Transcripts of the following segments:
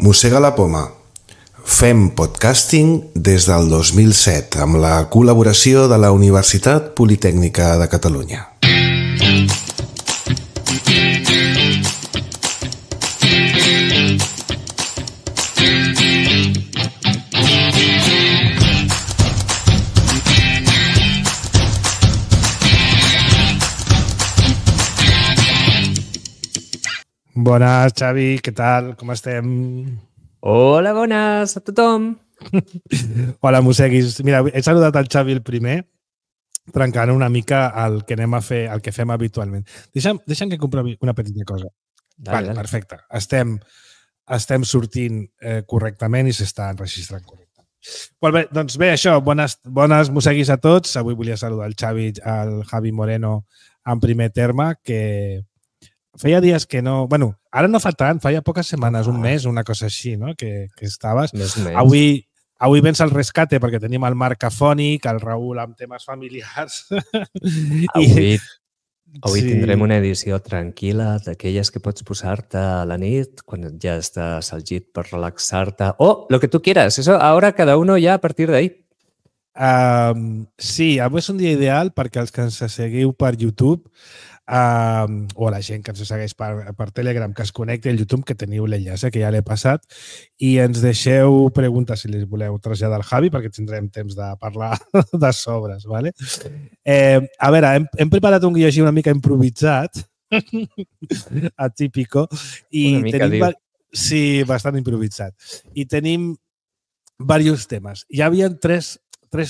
Mossega la poma. Fem podcasting des del 2007 amb la col·laboració de la Universitat Politècnica de Catalunya. Bones, Xavi, què tal? Com estem? Hola, bones a tothom. Hola, mosseguis. Mira, he saludat el Xavi el primer, trencant una mica el que anem a fer, el que fem habitualment. Deixa'm que comprovi una petita cosa. Vale, perfecte. Estem sortint correctament i s'està enregistrant correctament. Molt bé, doncs bé, això, bones mosseguis a tots. Avui volia saludar el Xavi, el Javi Moreno en primer terme, que feia dies que no... Bueno, ara no fa tant, feia poques setmanes, un mes, una cosa així, no? Que estaves. Més. Avui vens al rescate perquè tenim el Marc afònic, el Raül amb temes familiars. Avui tindrem una edició tranquil·la, d'aquelles que pots posar-te a la nit quan ja estàs al llit per relaxar-te. O lo que tú quieras. Eso ahora cada uno ya a partir de ahí. Sí, avui és un dia ideal perquè els que ens seguiu per YouTube o la gent que ens segueix per Telegram, que es connecti al YouTube, que teniu l'enllaç, que ja l'he passat, i ens deixeu preguntes si les voleu traslladar al Javi, perquè tindrem temps de parlar de sobres, ¿vale? A veure, hem preparat un guió així una mica improvisat, atípico, i una mica, tenim... Sí, bastant improvisat. I tenim diversos temes. Hi havia tres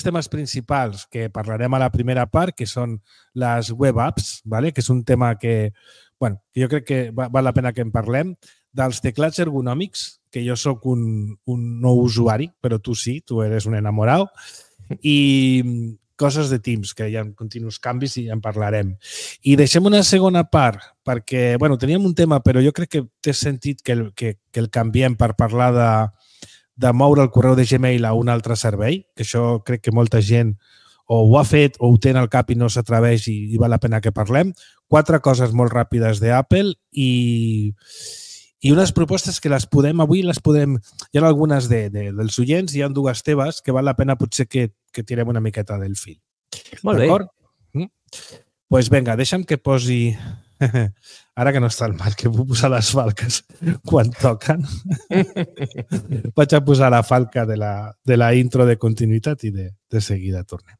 temes principals que parlarem a la primera part, que són les web apps, ¿vale? Que és un tema que, bueno, jo crec que val la pena que en parlem, dels teclats ergonòmics, que jo sóc un no usuari, però tu sí, tu eres un enamorado, i coses de Teams, que hi ha continus canvis i en parlarem. I deixem una segona part, perquè, bueno, teníem un tema, però jo crec que té sentit que el canviem per parlar de moure el correu de Gmail a un altre servei, que això crec que molta gent o ho ha fet o ho té en el cap i no s'atreveix i val la pena que parlem. 4 coses molt ràpides d'Apple i unes propostes que avui les podem... Hi ha algunes dels oients, hi ha 2 teves que val la pena potser que tirem una miqueta del fil. Molt bé. D'acord? Doncs vinga, deixa'm que posi... Ara que no està el mal, que puc posar les falques quan toquen. Vaig a posar la falca de la intro de continuïtat i de seguida tornem.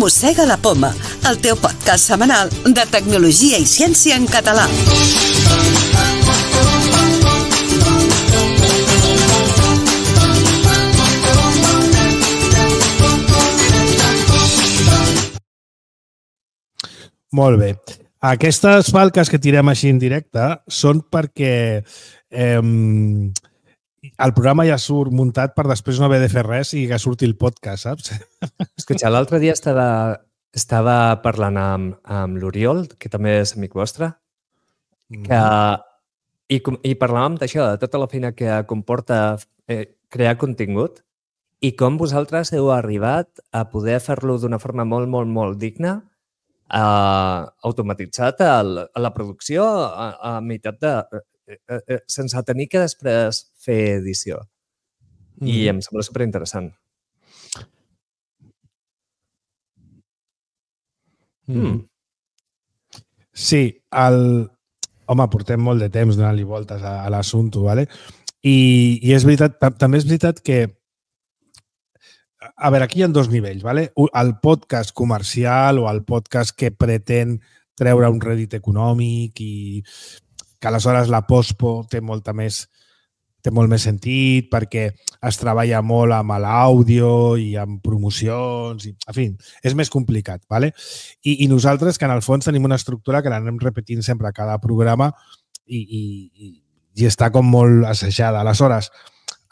Mossega la poma, el teu podcast setmanal de tecnologia i ciència en català. Molt bé. Aquestes falques que tirem així en directe són perquè el programa ja surt muntat per després no haver de fer res i que surti el podcast, saps? Escolta, l'altre dia estava parlant amb l'Oriol, que també és amic vostre, i parlàvem d'això, de tota la feina que comporta crear contingut i com vosaltres heu arribat a poder fer-lo d'una forma molt, molt, molt digna, automatitzat a la producció a meitat de... sense tenir que després fer edició. I em sembla superinteressant. Sí, home, portem molt de temps donant-li voltes a l'assumpte, ¿vale? I és veritat, també és veritat que a veure, aquí hi ha 2 nivells, ¿vale? El podcast comercial o el podcast que pretén treure un rèdit econòmic i que aleshores la postpo té molt més sentit perquè es treballa molt amb l'àudio i amb promocions. En fi, és més complicat. ¿Vale? I nosaltres, que en el fons tenim una estructura que l'anem repetint sempre a cada programa i està com molt assajada. Aleshores,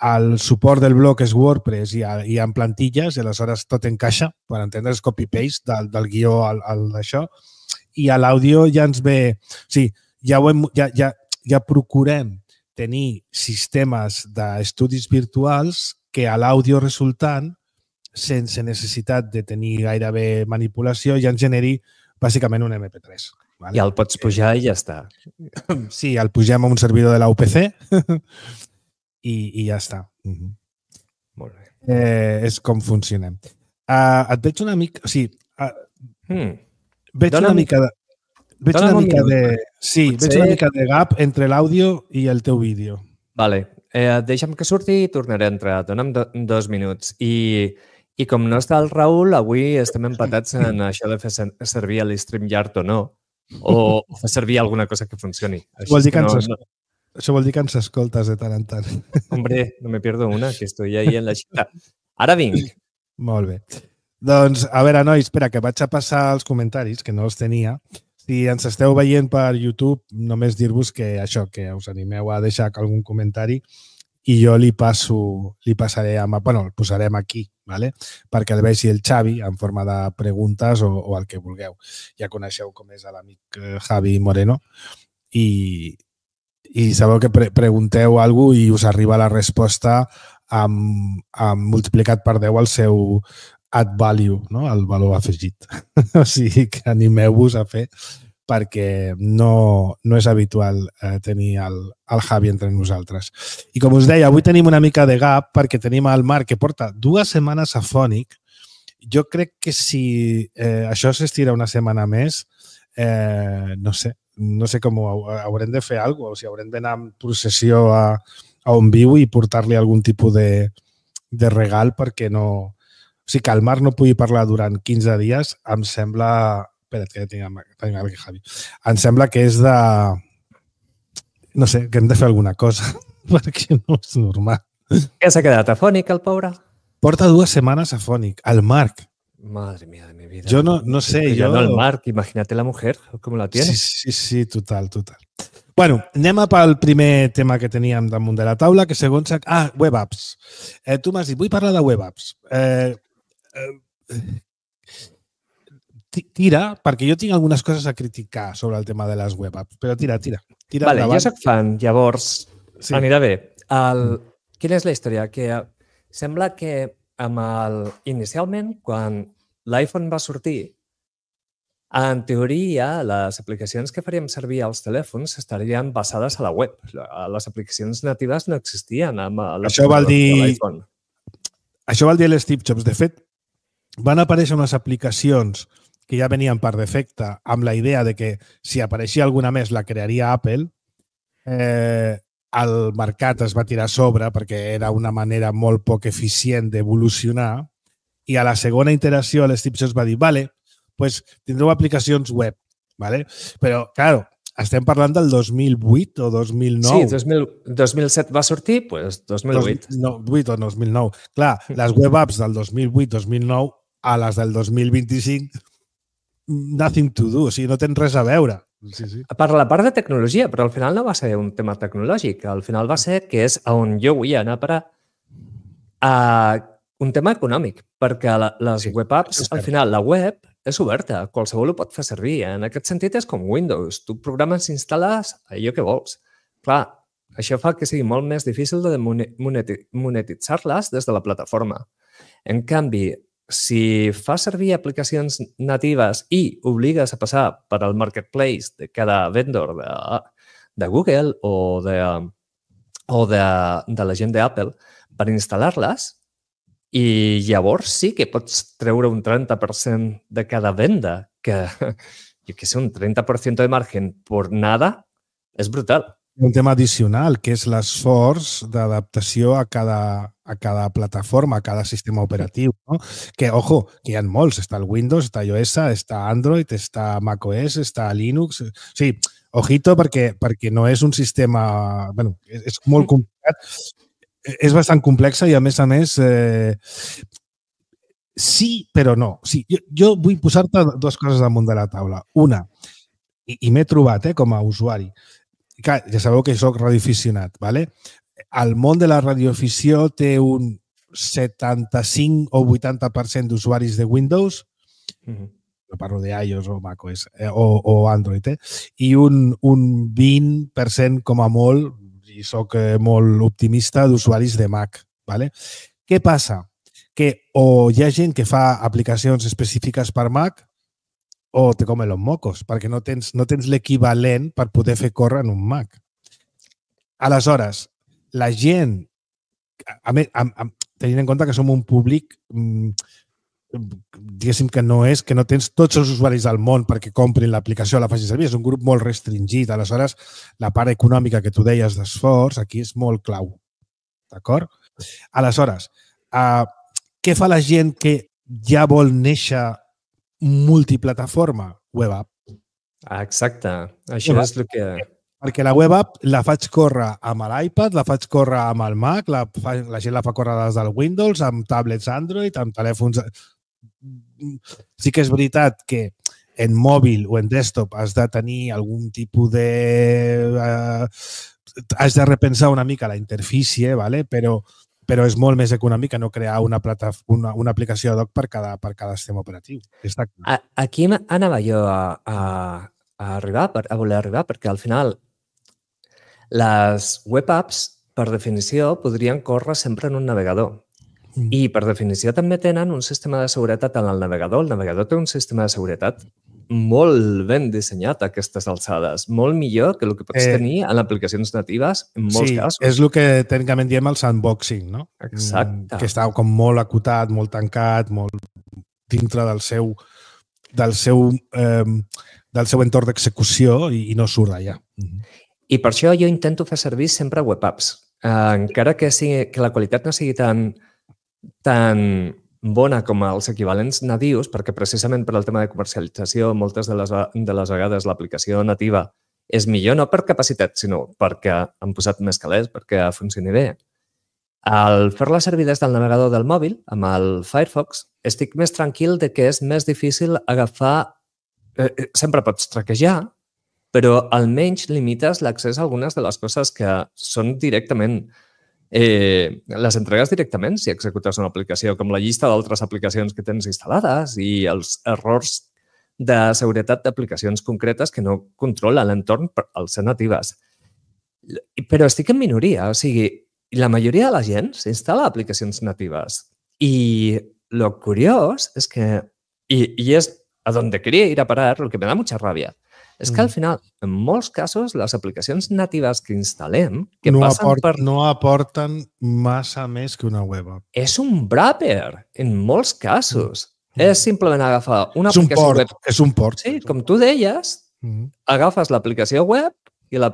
el suport del blog és WordPress i en plantilles, i aleshores tot encaixa, per entendre's, copy-paste del guió d'això. I a l'àudio ja ens ve... Sí, ja procurem tenir sistemes d'estudis virtuals que a l'àudio resultant, sense necessitat de tenir gairebé manipulació, ja ens generi bàsicament un MP3. Vale? I el pots pujar i ja està. Sí, el pugem a un servidor de la UPC i ja està. Molt bé. És com funcionem. Et veig una mica... O sigui, veig Dóna'm- una mica de... Veig dóna'm una un mica minut. de... Sí, Potser- veig una mica de gap entre l'àudio i el teu vídeo. Vale. Deixa'm que surti i tornaré a entrar. Dóna'm 2 minuts. I com no està el Raül, avui estem empatats en això de fer servir l'StreamYard o no, o fer servir alguna cosa que funcioni. Vol dir que no, Això vol dir que ens escoltes de tant en tant. Hombre, no me pierdo una, que estoy ahí en la xita. Ara vinc. Molt bé. Doncs, a veure, nois, espera, que vaig a passar els comentaris, que no els tenia. Si ens esteu veient per YouTube, només dir-vos que això, que us animeu a deixar algun comentari i jo li passaré, bueno, el posarem aquí, ¿vale? Perquè el vegi el Xavi en forma de preguntes o el que vulgueu. Ja coneixeu com és l'amic Javi Moreno i sabeu que pregunteu alguna cosa i us arriba la resposta amb multiplicat per 10 el seu add value, no? El valor afegit. O sigui que animeu-vos a fer perquè no és habitual tenir el Javi entre nosaltres. I com us deia, avui tenim una mica de gap perquè tenim el Marc que porta 2 setmanes a Fònic. Jo crec que si això s'estira una setmana més, no sé com haurem de fer alguna cosa, o si haurem d'anar en processió a on viu i portar-li algun tipus de regal perquè no... O sigui, que el Marc no pugui parlar durant 15 dies em sembla... Espera't, que tinc aquí, Javi. Em sembla que és de... No sé, que hem de fer alguna cosa perquè no és normal. Què s'ha quedat afònic, el pobre? Porta 2 setmanes a Fònic, el Marc. Madre mía de mi vida. Jo no sé, ya no el Marc, imagínate la mujer, ¿cómo la tiene? Sí, total. Bueno, anem pel primer tema que teníem damunt de la taula, que segons... web apps. Tu m'has dit, vull parlar de web apps. Tira, perquè jo tinc algunes coses a criticar sobre el tema de les web apps, però tira Vale, endavant. jo soc fan, llavors Sí. anirà bé. Quina és la història? Que sembla que inicialment, quan l'iPhone va sortir, en teoria, les aplicacions que faríem servir als telèfons estarien basades a la web. Les aplicacions natives no existien amb Això vol dir... l'iPhone. Això vol dir l'Steve Jobs. De fet, van aparèixer unes aplicacions que ja venien per defecte amb la idea de que si apareixia alguna més la crearia Apple. El mercat es va tirar a sobre perquè era una manera molt poc eficient d'evolucionar i a la segona iteració l'Steve Jobs va dir vale, pues tindreu aplicacions web, ¿vale? Però, claro, estem parlant del 2008 o 2009. Sí, 2007 va sortir, doncs 2008. 2008 o 2009. Clar, les web apps del 2008-2009 a les del 2025, nothing to do, o sigui, no tens res a veure. Sí. Per la part de tecnologia, però al final no va ser un tema tecnològic. Al final va ser, que és on jo vull anar a parar, un tema econòmic, perquè les web apps, al final, la web és oberta, qualsevol ho pot fer servir. En aquest sentit és com Windows. Tu programes, instal·les allò que vols. Clar, això fa que sigui molt més difícil de monetitzar-les des de la plataforma. En canvi, si fas servir aplicacions natives i obligues a passar per al marketplace de cada vendor de Google o de la gent d'Apple per instal·lar-les, i llavors sí que pots treure un 30% de cada venda, que, jo què sé, un 30% de margen per nada és brutal. Un tema addicional, que és l'esforç d'adaptació a cada plataforma, a cada sistema operatiu. No? Que, ojo, que hi ha molts. Està el Windows, està iOS, està Android, està macOS, està Linux. O sigui, ojito, perquè no és un sistema... Bueno, és molt complicat. És bastant complexa i, a més, sí, però no. Sí, jo vull posar-te 2 coses damunt de la taula. Una, i m'he trobat com a usuari, clar, ja sabeu que soc radioaficionat, ¿vale? El món de la radioafició té un 75 o 80% d'usuaris de Windows, no parlo d'iOS o macOS o Android, i un 20% com a molt, i soc molt optimista d'usuaris de Mac. ¿Vale? Què passa? Que o hi ha gent que fa aplicacions específiques per Mac o te comen los mocos, perquè no tens l'equivalent per poder fer córrer en un Mac. Aleshores, la gent, tenint en compte que som un públic, diguéssim que no tens tots els usuaris del món perquè comprin l'aplicació o la facin servir, és un grup molt restringit. Aleshores, la part econòmica que tu deies d'esforç aquí és molt clau. D'acord? Aleshores, què fa la gent que ja vol néixer multiplataforma? Web app. Exacte. Això és el que... Perquè la web app la faig córrer amb l'iPad, la faig córrer amb el Mac, la gent la fa córrer des del Windows, amb tablets Android, amb telèfons... Sí que és veritat que en mòbil o en desktop has de tenir algun tipus de... Has de repensar una mica la interfície, ¿vale? Però és molt més econòmic que no crear una aplicació ad hoc per cada sistema operatiu. Aquí anava jo a voler arribar, perquè al final les web apps, per definició, podrien córrer sempre en un navegador. I, per definició, també tenen un sistema de seguretat en el navegador. El navegador té un sistema de seguretat molt ben dissenyat a aquestes alçades, molt millor que el que pots tenir en aplicacions natives en molts casos. Sí, és el que tècnicament diem el sandboxing, no? Exacte. Que està com molt acotat, molt tancat, molt dintre del seu entorn d'execució i no surt d'allà. I per això jo intento fer servir sempre web apps. Encara que la qualitat no sigui tan bona com els equivalents natius, perquè precisament per al tema de comercialització moltes de les vegades l'aplicació nativa és millor no per capacitat, sinó perquè han posat més calés, perquè funcioni bé. Al fer-la servir des del navegador del mòbil, amb el Firefox, estic més tranquil de que és més difícil agafar... Sempre pots traquejar, però almenys limites l'accés a algunes de les coses que són directament... les entregues directament si executes una aplicació, com la llista d'altres aplicacions que tens instal·lades i els errors de seguretat d'aplicacions concretes que no controla l'entorn al ser natives. Però estic en minoria, o sigui, la majoria de la gent s'instal·la aplicacions natives. I lo curiós és que, i és a donde quería ir a parar, lo que me da mucha rabia, és que al final, en molts casos, les aplicacions natives que instal·lem... No aporten massa més que una web app. És un wrapper, en molts casos. És simplement agafar una aplicació web... És un port. Sí, com tu deies, agafes l'aplicació web i la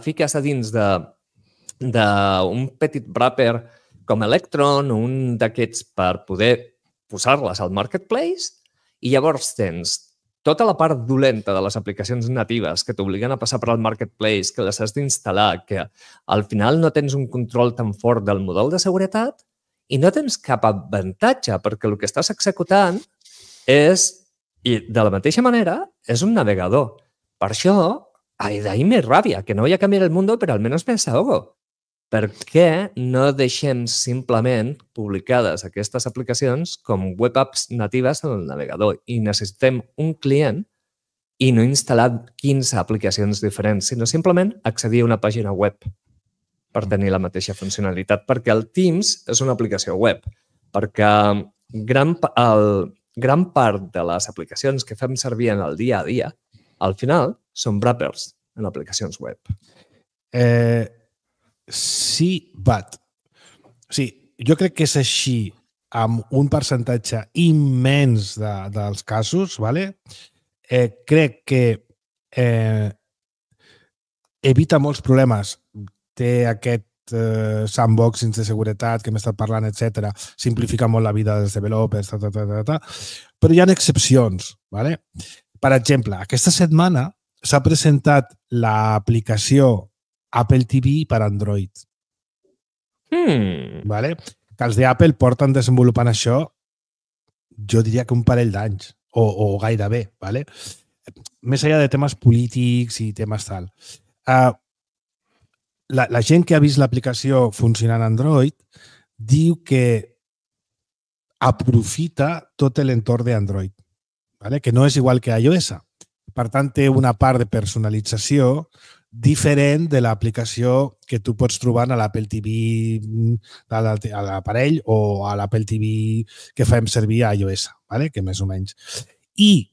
fiques a dins d'un petit wrapper com Electron o un d'aquests per poder posar-les al marketplace i llavors tens tota la part dolenta de les aplicacions natives que t'obliguen a passar per al marketplace, que les has d'instal·lar, que al final no tens un control tan fort del model de seguretat i no tens cap avantatge perquè el que estàs executant és, i de la mateixa manera, és un navegador. Per això, d'ahí me ràbia, que no voy a cambiar el mundo, pero al menos me desahogo. Per què no deixem simplement publicades aquestes aplicacions com web apps natives en el navegador i necessitem un client i no instal·lar 15 aplicacions diferents, sinó simplement accedir a una pàgina web per tenir la mateixa funcionalitat, perquè el Teams és una aplicació web, perquè gran part de les aplicacions que fem servir en el dia a dia, al final, són wrappers en aplicacions web. Sí, but. Sí, jo crec que és així amb un percentatge immens dels casos, ¿vale? Crec que evita molts problemes. Té aquest sandboxing de seguretat que hem estat parlant, etc. Simplifica molt la vida dels developers, però hi ha excepcions, ¿vale? Per exemple, aquesta setmana s'ha presentat l'aplicació Apple TV per Android. Vale? Que els d'Apple porten desenvolupant això, jo diria que un parell d'anys, o gairebé. Vale? Més enllà de temes polítics i temes tal. La gent que ha vist l'aplicació funcionant en Android diu que aprofita tot l'entorn d'Android, vale? Que no és igual que iOS. Per tant, té una part de personalització diferent de l'aplicació que tu pots trobar a l'Apple TV a l'aparell o a l'Apple TV que fem servir a iOS, ¿vale? Que més o menys. I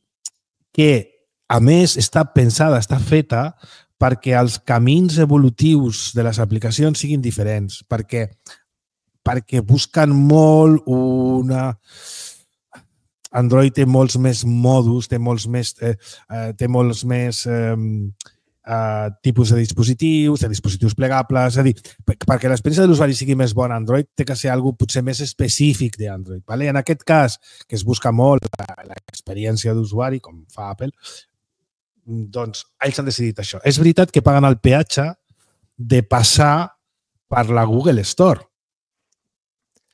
que, a més, està pensada, està feta perquè els camins evolutius de les aplicacions siguin diferents, perquè busquen molt una... Android té molts més mòduls, té molts més tipus de dispositius plegables, és a dir, perquè l'experiència de l'usuari sigui més bona a Android, té que ser alguna potser més específic d'Android. ¿Vale? En aquest cas, que es busca molt l'experiència d'usuari, com fa Apple, doncs ells han decidit això. És veritat que paguen el peatge de passar per la Google Store.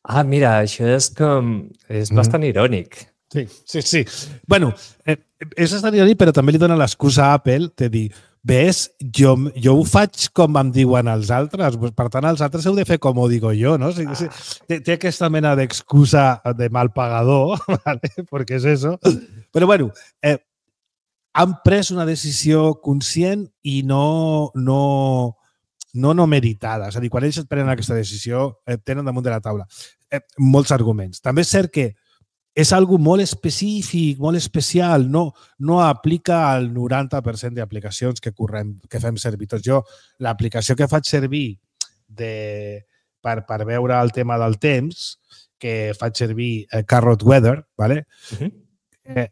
Ah, mira, això és bastant irònic. Sí. Bueno, és bastant irònic, però també li dona l'excusa a Apple de dir, ves, jo ho faig com em diuen els altres, per tant, els altres heu de fer com ho digo jo, no? Té aquesta mena d'excusa de mal pagador, ¿vale? Perquè és eso. Però, bueno, han pres una decisió conscient i no meritada. És a dir, quan ells prenen aquesta decisió, tenen damunt de la taula molts arguments. També és cert que és algo molt específic, molt especial, no aplica al 90% d'aplicacions que fem servir tots. Jo, l'aplicació que faig servir per veure el tema del temps, que faig servir Carrot Weather, ¿vale?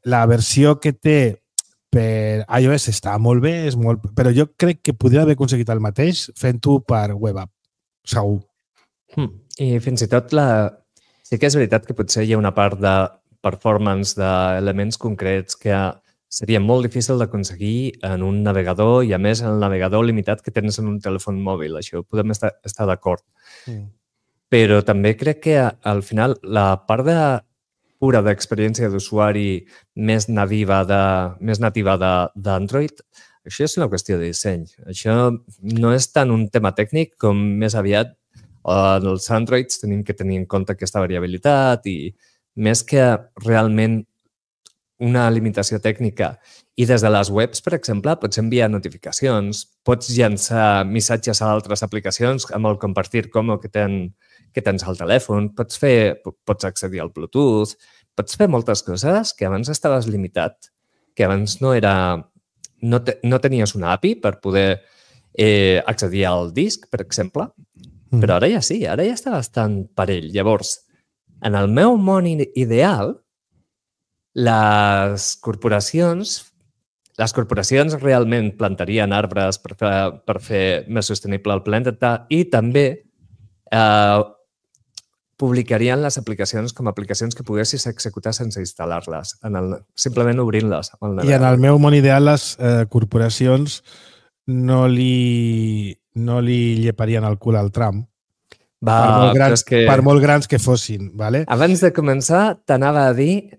La versió que té per iOS està molt bé, però jo crec que podria haver aconseguit el mateix fent-ho per web app, segur. I fins i tot sí que és veritat que potser hi ha una part de performance d'elements concrets que seria molt difícil d'aconseguir en un navegador i, a més, en el navegador limitat que tens en un telèfon mòbil. Això podem estar d'acord. Però també crec que, al final, la part pura d'experiència d'usuari més nativa d'Android, això és una qüestió de disseny. Això no és tant un tema tècnic com més aviat els Androids tenim que tenir en compte aquesta variabilitat i més que realment una limitació tècnica. I des de les webs, per exemple, pots enviar notificacions, pots llançar missatges a altres aplicacions amb el compartir com que tens al telèfon, pots accedir al Bluetooth, pots fer moltes coses que abans estaves limitat, que abans no tenies una API per poder accedir al disc, per exemple, però ara ja sí, ara ja està bastant parell. Llavors, en el meu món ideal, les corporacions realment plantarien arbres per fer més sostenible el planeta i també publicarien les aplicacions com a aplicacions que poguessis executar sense instal·lar-les, simplement obrint-les. I en el meu món ideal, les corporacions no li lleparien el cul al Trump. Per molt grans que fossin, ¿vale? Abans de començar, t'anava a dir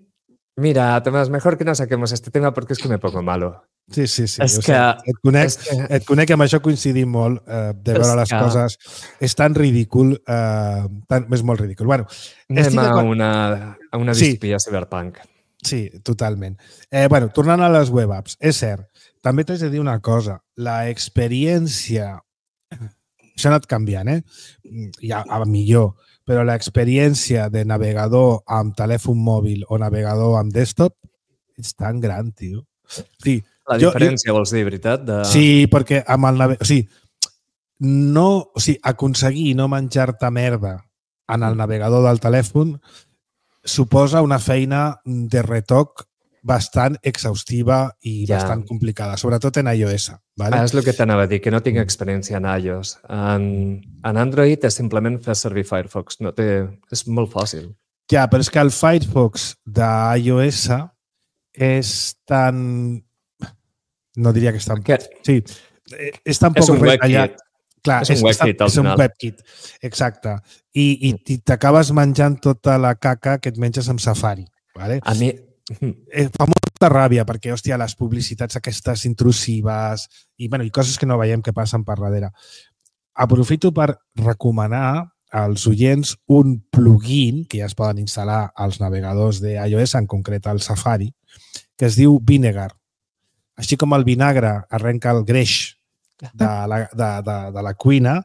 mira, Tomás, mejor que no saquemos este tema porque es que me pongo malo. Sí. Et conec, amb això coincidim molt de veure les coses. És tan ridícul, és molt ridícul. Bueno, anem a una distopia cyberpunk. Sí, totalment. Bueno, tornant a les web apps, és cert, també t'haig de dir una cosa. La experiència... Això ha anat canviant, ja a millor, però l'experiència de navegador amb telèfon mòbil o navegador amb desktop és tan gran, tio. Sí, la diferència, vols dir, veritat? Sí, perquè amb el navegador... aconseguir no menjar-te merda en el navegador del telèfon suposa una feina de retoc bastant exhaustiva i bastant complicada, sobretot en iOS. ¿Vale? És el que t'anava a dir, que no tinc experiència en iOS. En Android és simplement fer servir Firefox. És molt fàcil. Ja, però és que el Firefox d'iOS és tan... No diria que és tan... Sí, és tan poc retallat. Clar, és un WebKit, al final. És un WebKit, exacte. I t'acabes menjant tota la caca que et menges amb Safari. ¿Vale? A mi... Fa molta ràbia perquè, hòstia, les publicitats aquestes intrusives i coses que no veiem que passen per darrere. Aprofito per recomanar als oients un plugin que ja es poden instal·lar als navegadors d'iOS, en concret al Safari, que es diu Vinegar. Així com el vinagre arrenca el greix de la cuina,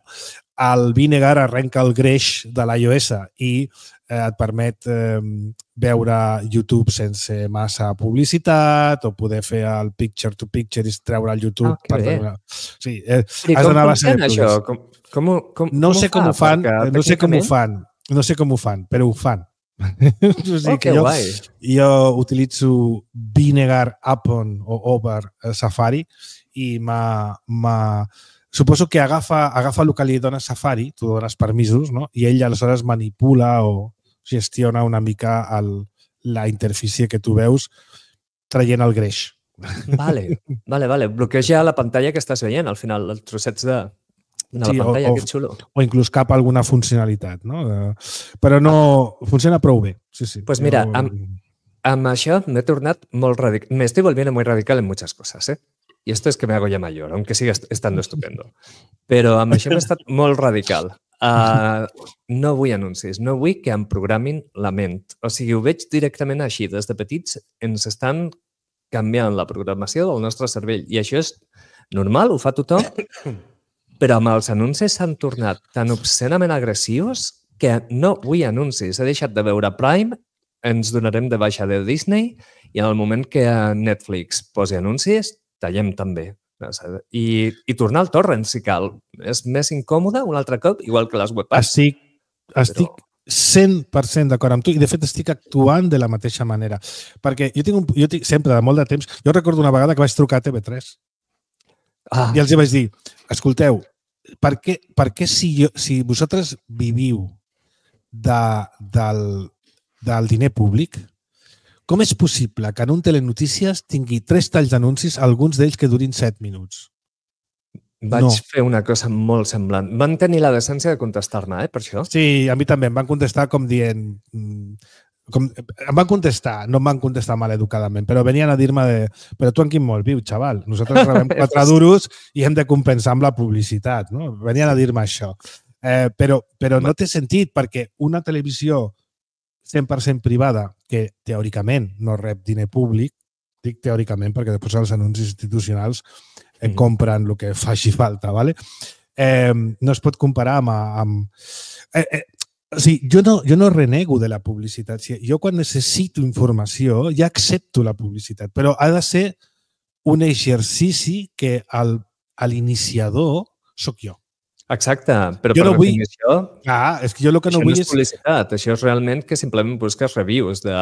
el Vinegar arrenca el greix de l'iOS i et permet veure YouTube sense massa publicitat o poder fer el picture-to-picture i treure el YouTube. Sí, I com funciona això? No sé com ho fan, però ho fan. O sigui que jo utilitzo Vinegar Upon o Over Safari i suposo que agafa el que li dona Safari, tu dones permisos, no? I ell aleshores manipula o gestiona una mica la interfície que tu veus traient el greix. Vale. Bloqueja la pantalla que estàs veient, al final, els trossets de la pantalla, que xulo. O inclús cap alguna funcionalitat, no? Però no funciona prou bé. Sí. Pues mira, amb això m'he tornat molt radical. Me estoy volviendo muy radical en muchas cosas, ¿eh? Y esto es que me hago ya mayor, aunque siga estando estupendo. Però amb això m'he estat molt radical. No vull anuncis, no vull que em programin la ment. O sigui, ho veig directament així. Des de petits ens estan canviant la programació del nostre cervell. I això és normal, ho fa tothom, però amb els anuncis s'han tornat tan obscenament agressius que no vull anuncis. He deixat de veure Prime, ens donarem de baixa de Disney i en el moment que Netflix posi anuncis, tallem també. I tornar al torrent, si cal. És més incòmode un altre cop, igual que les webapps. Estic 100% d'acord amb tu i, de fet, estic actuant de la mateixa manera. Perquè jo tinc sempre, de molt de temps, jo recordo una vegada que vaig trucar a TV3 i els vaig dir, escolteu, per què si vosaltres viviu del diner públic, com és possible que en un telenotícies tingui 3 talls d'anuncis, alguns d'ells que durin 7 minuts? Vaig fer una cosa molt semblant. Van tenir la decència de contestar-me, per això. Sí, a mi també. Em van contestar com dient... Em van contestar, no em van contestar maleducadament, però venien a dir-me però tu en quin món viu, xaval? Nosaltres rebem 4 duros i hem de compensar amb la publicitat, no? Venien a dir-me això. Però no té sentit, perquè una televisió 100% privada, que teòricament no rep diner públic, dic teòricament perquè després els anuncis institucionals compren el que faci falta, ¿vale? No es pot comparar amb... O sigui, jo no renego de la publicitat. Jo quan necessito informació ja accepto la publicitat, però ha de ser un exercici que l'iniciador sóc jo. Exacte, però per definició... És que jo el que no vull és... Això no és publicitat, això és realment que simplement busques reviews de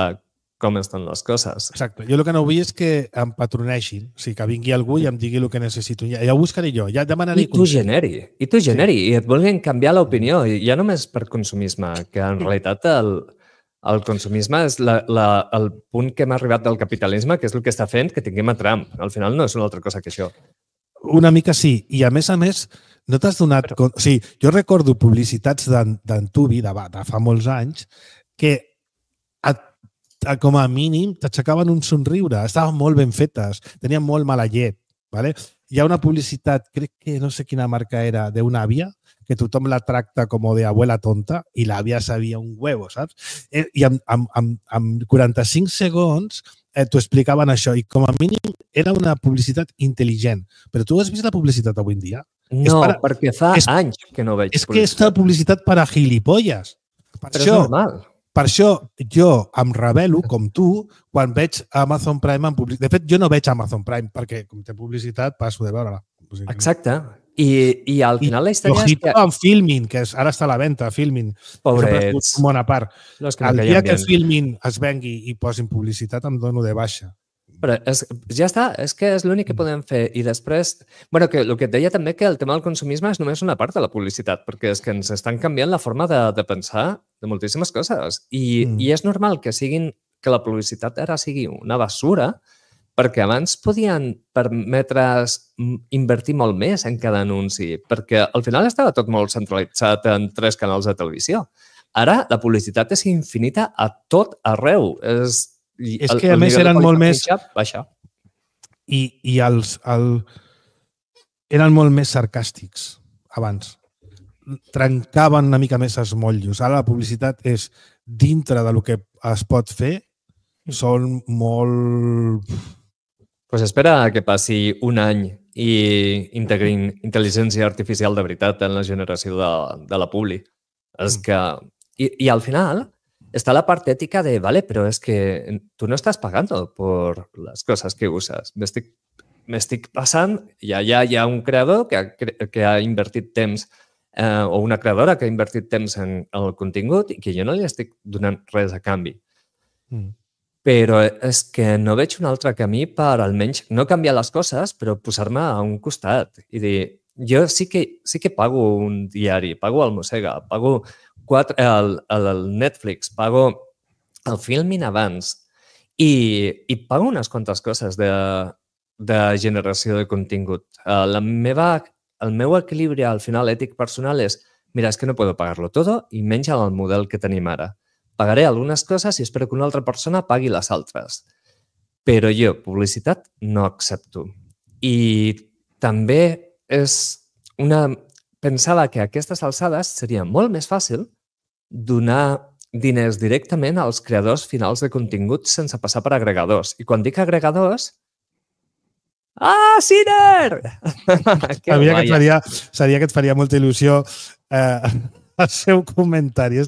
com estan les coses. Exacte, jo el que no vull és que em patroneixin, o sigui, que vingui algú i em digui el que necessito. Ja ho buscaré jo, ja demanaré... I tu generi, i et vulguin canviar l'opinió, ja només per consumisme, que en realitat el consumisme és el punt que hem arribat del capitalisme, que és el que està fent que tinguem a Trump. Al final no és una altra cosa que això. Una mica sí, i a més, no t'has donat compte... O sigui, jo recordo publicitats d'Antubi, de fa molts anys, que com a mínim t'aixecaven un somriure, estaven molt ben fetes, tenien molt mala llet. ¿Vale? Hi ha una publicitat, crec que no sé quina marca era, d'una àvia, que tothom la tracta com de abuela tonta i l'àvia sabia un huevo, saps? I amb 45 segons t'ho explicaven això i com a mínim era una publicitat intel·ligent. Però tu has vist la publicitat avui en dia? No, perquè fa anys que no veig publicitat. És que és una publicitat per a gilipolles. Però és normal. Per això jo em rebel·lo, com tu, quan veig Amazon Prime en publicitat. De fet, jo no veig Amazon Prime perquè, com té publicitat, passo de veure-la. Exacte. I al final la història és que... amb Filmin, que ara està a la venta, Filmin. Pobrets. Bona part. El dia que Filmin es vengui i posin publicitat, em dono de baixa. Però ja està, és que és l'únic que podem fer. I després, bueno, que el que et deia també que el tema del consumisme és només una part de la publicitat, perquè és que ens estan canviant la forma de pensar de moltíssimes coses. I és normal que la publicitat ara sigui una basura, perquè abans podien permetre's invertir molt més en cada anunci, perquè al final estava tot molt centralitzat en 3 canals de televisió. Ara la publicitat és infinita a tot arreu. És que a més eren molt més... I eren molt més sarcàstics abans. Trencaven una mica més els motllos. Ara la publicitat és dintre del que es pot fer, són molt... Pues espera que passi un any i integrin intel·ligència artificial de veritat en la generació de la publi. És que... I al final está la parte ética de, vale, pero es que tú no estás pagando por las cosas que usas. Me estic passant, hi ha un creador que ha invertit temps o una creadora que ha invertit temps en el contingut i que jo no li estic donant res a canvi. Però és que no veig un altre camí per almenys no canviar les coses, però posar-me a un costat i dir, jo sí que pago un diari, pago el Mossega, pago el Netflix, pago el Filmin abans i pago unes quantes coses de generació de contingut. El meu equilibri al final ètic personal és, mira, és que no puedo pagarlo todo i menys el model que tenim ara. Pagaré algunes coses i espero que una altra persona pagui les altres. Però jo, publicitat, no accepto. I també pensava que a aquestes alçades seria molt més fàcil donar diners directament als creadors finals de contingut sense passar per agregadors. I quan dic agregadors... Ah, Ciner! Sabia que et faria molta il·lusió el seu comentari.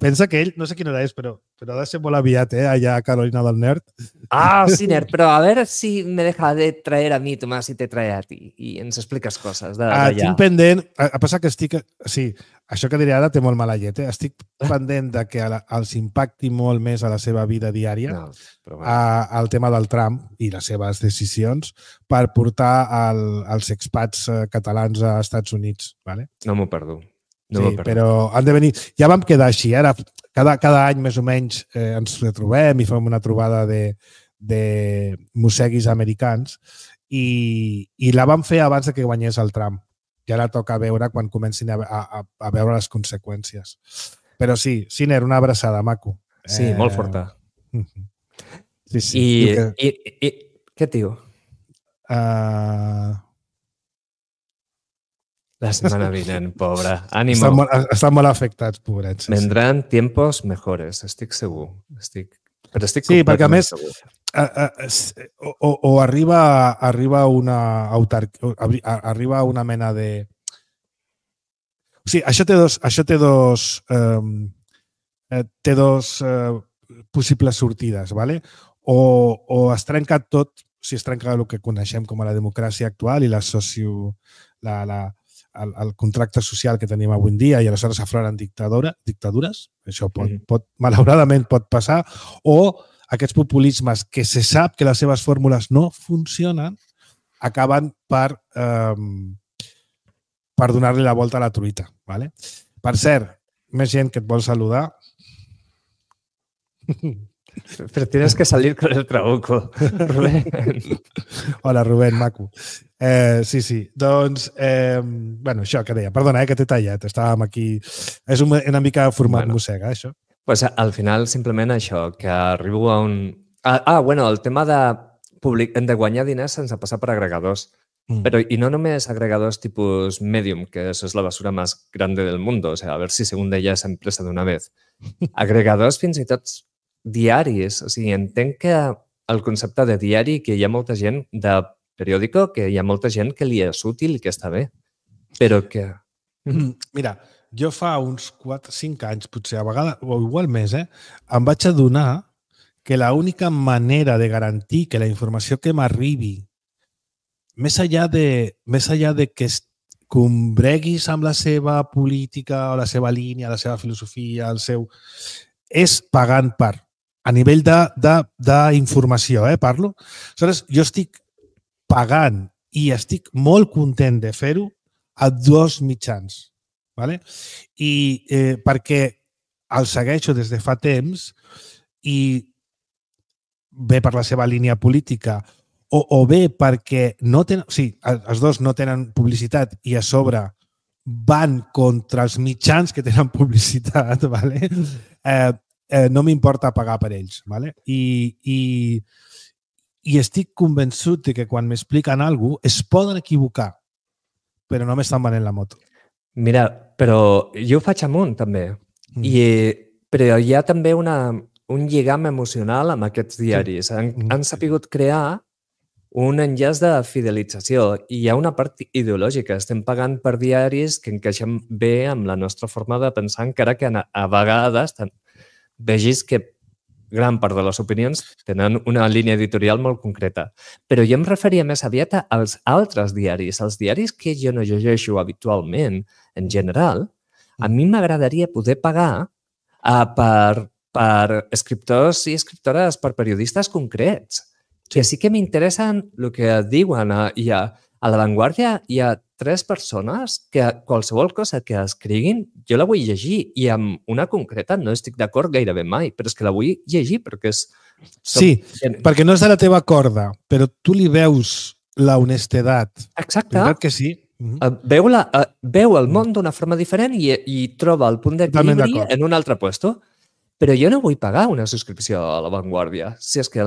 Pensa que ell, no sé quina hora és, però ha de ser molt aviat, allà a Carolina del Nord. Ah, Ciner, però a veure si me deja de traer a mi, Tomàs, i te trae a ti. I ens expliques coses d'allà. Tinc pendent... A passar que estic... Sí, això que diré ara té molt mala llet. Estic pendent de que els impacti molt més a la seva vida diària el tema del Trump i les seves decisions per portar els expats catalans a Estats Units. ¿Vale? No m'ho perdo. Sí, però han de venir... Ja vam quedar així, ara cada any més o menys ens retrobem i fem una trobada de mosseguis americans i la vam fer abans que guanyés el Trump. I ara toca veure quan comencin a veure les conseqüències. Però sí, Ciner, una abraçada, maco. Sí, molt forta. Sí. I què et diu? La setmana vinent, pobre. Ànimo. Estan molt afectats, pobrets. Vendran tiempos mejores, estic segur. Però estic sí, perquè a més segur. O arriba una mena de... O sigui, això té dos possibles sortides, ¿vale? O es trenca tot, si es trenca el que coneixem com a la democràcia actual i el contracte social que tenim avui en dia i aleshores afloren dictadures, això malauradament pot passar, o aquests populismes que se sap que les seves fórmules no funcionen acaben per donar-li la volta a la truita. ¿Vale? Per cert, més gent que et vol saludar. Pero tienes que salir con el trabuco, Rubén. Hola, Rubén, maco. Sí. Doncs, bueno, això que deia. Perdona, que t'he tallat. Estàvem aquí... És una mica format mossega, això. Pues al final, simplement això, que arribo a un... Bueno, el tema de guanyar diners sense passar per agregadors. Pero, y no només agregadors tipus Medium, que eso es la basura más grande del mundo. O sea, a ver si se hunde ya esa empresa de una vez. Agregadors fins i tot diaris. O sigui, entenc que el concepte de diari, que hi ha molta gent de periòdico, que hi ha molta gent que li és útil i que està bé, però que... Mira, jo fa uns 4-5 anys, potser a vegades, o igual més, em vaig adonar que l'única manera de garantir que la informació que m'arribi, més enllà de que combreguis amb la seva política o la seva línia, la seva filosofia, és pagant per, a nivell d'informació, parlo. Aleshores, jo estic pagant i estic molt content de fer-ho a dos mitjans. ¿Vale? I perquè el segueixo des de fa temps i bé per la seva línia política o bé perquè no tenen, els dos no tenen publicitat i a sobre van contra els mitjans que tenen publicitat, ¿vale? No m'importa pagar per ells. ¿Vale? I estic convençut que quan m'expliquen alguna cosa es poden equivocar, però no m'estan venent la moto. Mira, però jo ho faig amunt, també. Però hi ha també un lligam emocional amb aquests diaris. Han sapigut crear un enllaç de fidelització i hi ha una part ideològica. Estem pagant per diaris que encaixen bé amb la nostra forma de pensar, encara que a vegades vegis que gran part de les opinions tenen una línia editorial molt concreta. Però jo em referia més aviat als altres diaris, als diaris que jo no llegeixo habitualment, en general. A mi m'agradaria poder pagar per escriptors i escriptores, per periodistes concrets, que sí que m'interessen el que diuen. I a La Vanguardia hi ha 3 persones que qualsevol cosa que escriguin jo la vull llegir i amb una concreta no estic d'acord gairebé mai, però és que la vull llegir perquè és... Sí, perquè no és de la teva corda, però tu li veus la honestedat. Exacte. Veritat que sí? Veu el món d'una forma diferent i troba el punt d'equilibri en un altre puesto. Però jo no vull pagar una subscripció a La Vanguardia. Si és que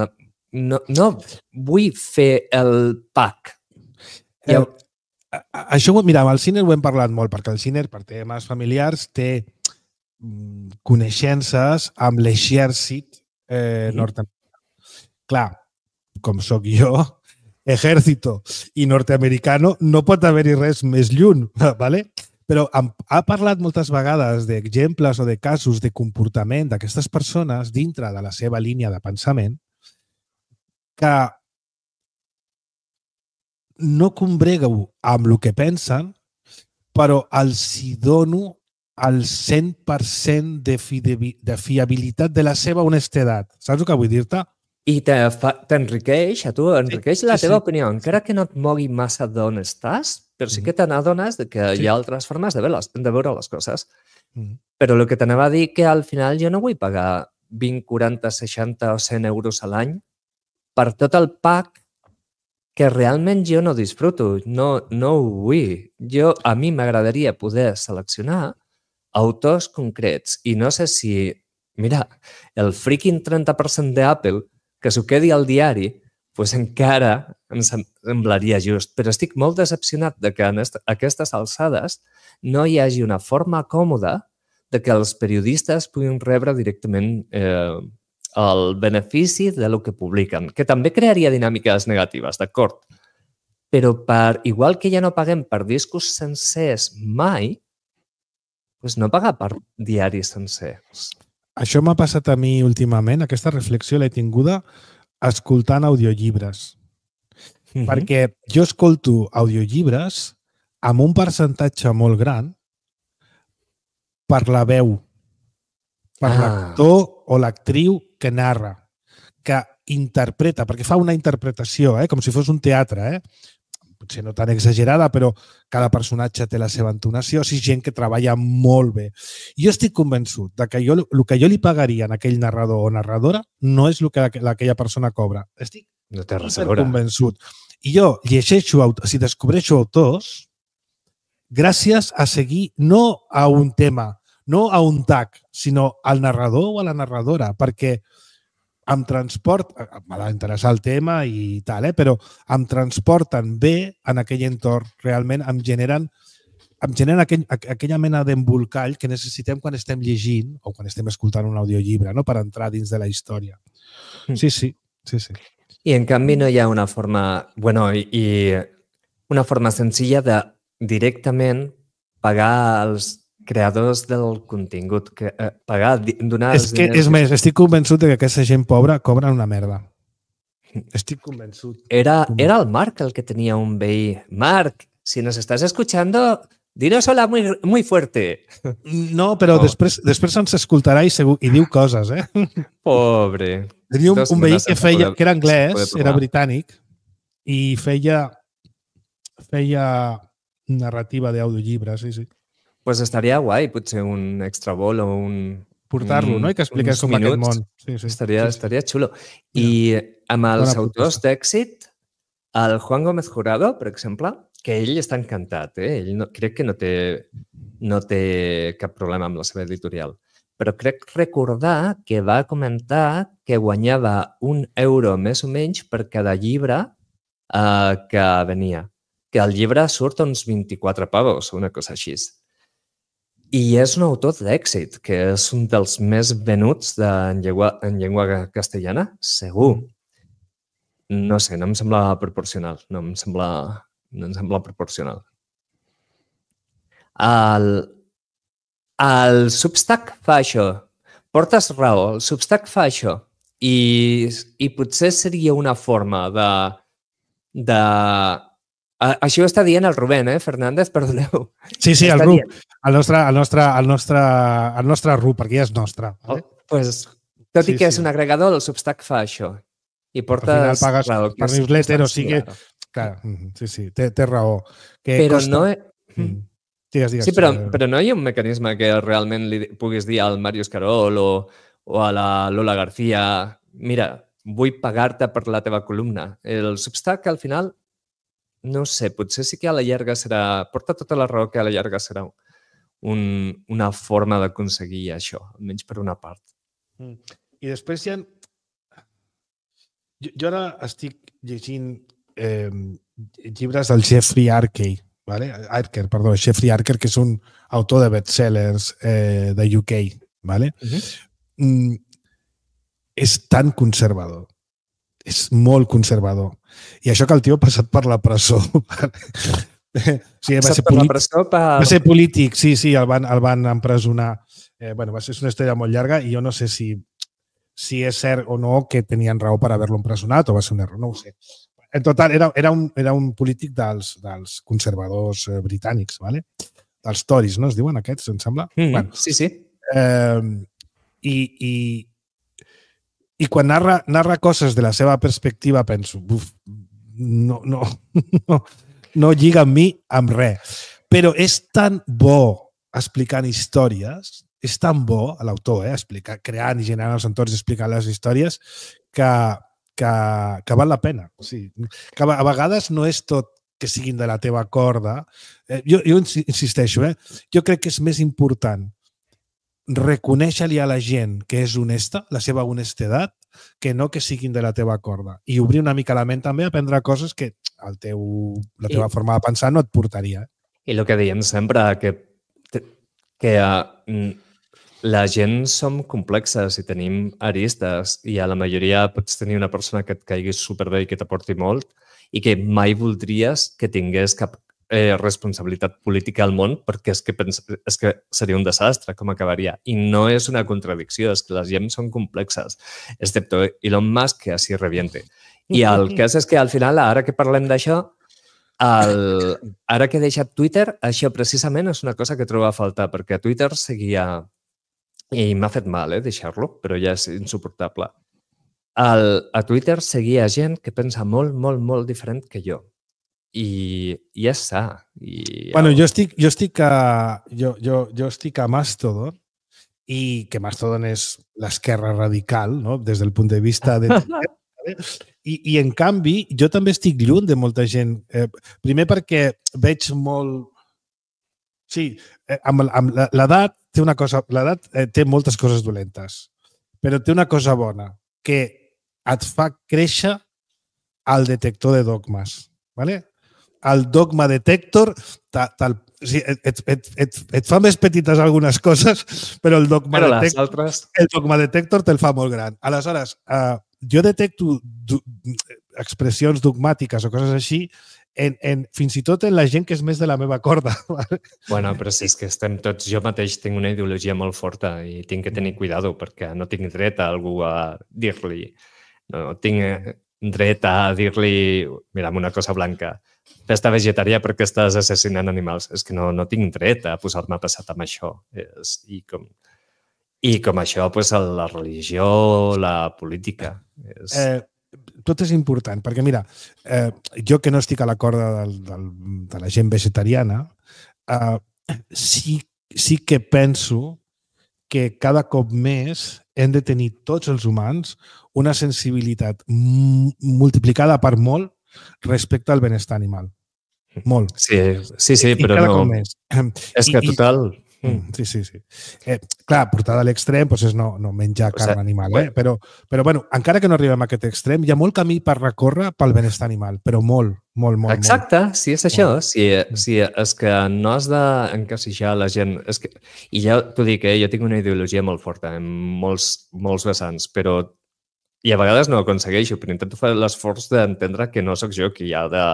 no vull fer el pack. Això, mira, amb el Ciner ho hem parlat molt, perquè el Ciner, per temes familiars, té coneixences amb l'exèrcit nord-americà. Clar, com sóc jo, ejército i nord-americano, no pot haver-hi res més lluny, ¿vale? Però ha parlat moltes vegades d'exemples o de casos de comportament d'aquestes persones dintre de la seva línia de pensament que no combrego amb el que pensen, però els hi dono el 100% de fiabilitat de la seva honestedat. Saps el que vull dir-te? I t'enriqueix, a tu enriqueix la teva opinió, encara que no et mogui massa d'on estàs, però sí que te n'adones que hi ha altres formes de veure les coses. Però el que t'anava a dir que al final jo no vull pagar 20, 40, 60 o 100 euros a l'any per tot el pack que realment jo no disfruto, no ho vull. A mi m'agradaria poder seleccionar autors concrets i no sé si, mira, el freaking 30% d'Apple que s'ho quedi al diari, doncs encara em semblaria just. Però estic molt decepcionat de que en aquestes alçades no hi hagi una forma còmoda de que els periodistes puguin rebre directament el benefici del que publiquen, que també crearia dinàmiques negatives, d'acord? Però igual que ja no paguem per discos sencers mai, doncs no pagar per diaris sencers. Això m'ha passat a mi últimament, aquesta reflexió l'he tinguda escoltant audiollibres. Perquè jo escolto audiollibres amb un percentatge molt gran per la veu, per l'actor o l'actriu que narra, que interpreta, perquè fa una interpretació, com si fos un teatre, potser no tan exagerada, però cada personatge té la seva entonació, és gent que treballa molt bé. Jo estic convençut que el que jo li pagaria a aquell narrador o narradora no és el que aquella persona cobra. Estic convençut. I jo llegeixo, si descobreixo autors, gràcies a seguir no a un tema, no a un tag, sinó al narrador o a la narradora, perquè em m'ha d'interessar el tema i tal, però em transporten bé en aquell entorn. Realment em generen aquella mena d'embolcall que necessitem quan estem llegint o quan estem escoltant un audiollibre, no? Per entrar dins de la història. Sí. I en canvi no hi ha una forma, una forma senzilla de directament pagar als creadors del contingut, donar... És més, estic convençut que aquesta gent pobra cobra una merda. Estic convençut. Era el Marc el que tenia un veí. Marc, si nos estás escuchando, dinos hola muy fuerte. No, però després ens escoltarà i diu coses, Pobre. Tenia un veí que era anglès, era britànic, i feia narrativa d'audiollibres, sí. Pues estaria guai, potser un extra vol o un... Portar-lo, no? I que expliqués com aquest món. Sí. Estaria xulo. I amb els autors d'èxit, el Juan Gómez Jurado, per exemple, que ell està encantat, ell crec que no té cap problema amb la seva editorial, però crec recordar que va comentar que guanyava €1 més o menys per cada llibre que venia, que el llibre surt uns 24 pavos o una cosa així. I és un autor d'èxit, que és un dels més venuts en llengua castellana, segur. no sé, no em sembla proporcional. No em sembla proporcional. El Substack fa això. Portes raó, el Substack fa això. I potser seria una forma de... Això ho està dient el Rubén, Fernández? Perdoneu. Sí, el RUP. El nostre RUP, perquè ja és nostre. Vale? Tot i que és un agregador, el Substack fa això. I portes al final pagues raó. per newsletter, o sigui... Clar, sí, té raó. Però no... Digues. Sí, però no hi ha un mecanisme que realment li puguis dir al Màrius Carol o a la Lola García, mira, vull pagar-te per la teva columna. El Substack, al final, no sé, potser sí que a la llarga serà... Porta tota la raó que a la llarga serà una forma d'aconseguir això, almenys per una part. I després hi ha... Jo ara estic llegint llibres del Jeffrey Archer, Jeffrey Archer, que és un autor de bestsellers de UK. ¿Vale? És tan conservador. És molt conservador. I això que el tio ha passat per la presó. Sí, va ser polític, sí, el van empresonar. Va ser una història molt llarga i jo no sé si és cert o no que tenien raó per haver-lo empresonat o va ser un error, no ho sé. En total, era un polític dels conservadors britànics, ¿vale? Dels Tories, no es diuen aquests, em sembla? Sí. I quan narra coses de la seva perspectiva penso, no lliga amb mi amb res. Però és tan bo explicant històries, és tan bo l'autor, creant i generant els entorns i explicant les històries que val la pena. O sigui, que a vegades no és tot que siguin de la teva corda. Jo insisteixo, jo crec que és més important reconèixer-li a la gent que és honesta, la seva honestedat, que no que siguin de la teva corda. I obrir una mica la ment també a aprendre coses que la teva forma de pensar no et portaria. I el que diem sempre, que la gent som complexes i tenim aristes i a la majoria pots tenir una persona que et caigui superbé i que t'aporti molt i que mai voldries que tingués cap responsabilitat política al món perquè és que seria un desastre com acabaria. I no és una contradicció, és que les gent són complexes, excepto Elon Musk, que així reviente. I el cas és que al final, ara que parlem d'això, ara que he deixat Twitter, això precisament és una cosa que trobo a faltar, perquè a Twitter seguia... I m'ha fet mal, deixar-lo, però ja és insuportable. A Twitter seguia gent que pensa molt, molt, molt diferent que jo. I ja està. Jo estic a Mastodon i que Mastodon és l'esquerra radical, no? Des del punt de vista de... I en canvi, jo també estic lluny de molta gent. Primer perquè veig molt... Sí, amb l'edat té una cosa... L'edat té moltes coses dolentes, però té una cosa bona, que et fa créixer el detector de dogmes. ¿Vale? El dogma detector et fa més petites algunes coses, però el dogma detector te'l fa molt gran. Aleshores, jo detecto expressions dogmàtiques o coses així fins i tot en la gent que és més de la meva corda. Bueno, però si és que estem tots... Jo mateix tinc una ideologia molt forta i tinc que tenir cuidado perquè no tinc dret a algú a dir-li... No tinc dret a dir-li, mira, una cosa blanca, festa vegetària perquè estàs assassinant animals. És que no tinc dret a posar-me passat amb això. I com això, la religió, la política... Tot és important, perquè mira, jo que no estic a la corda de la gent vegetariana, sí que penso que cada cop més hem de tenir tots els humans una sensibilitat multiplicada per molt respecte al benestar animal. Molt. Sí, però no... És que total... Sí. Clar, portada a l'extrem és no menjar carn animal, però bueno, encara que no arribem a aquest extrem, hi ha molt camí per recórrer pel benestar animal, però molt. Exacte, sí, és això. Sí, és que no has d'encasillar la gent. I ja t'ho dic, jo tinc una ideologia molt forta en molts vessants, però I a vegades no ho aconsegueixo, però intento fer l'esforç d'entendre que no sóc jo qui ha de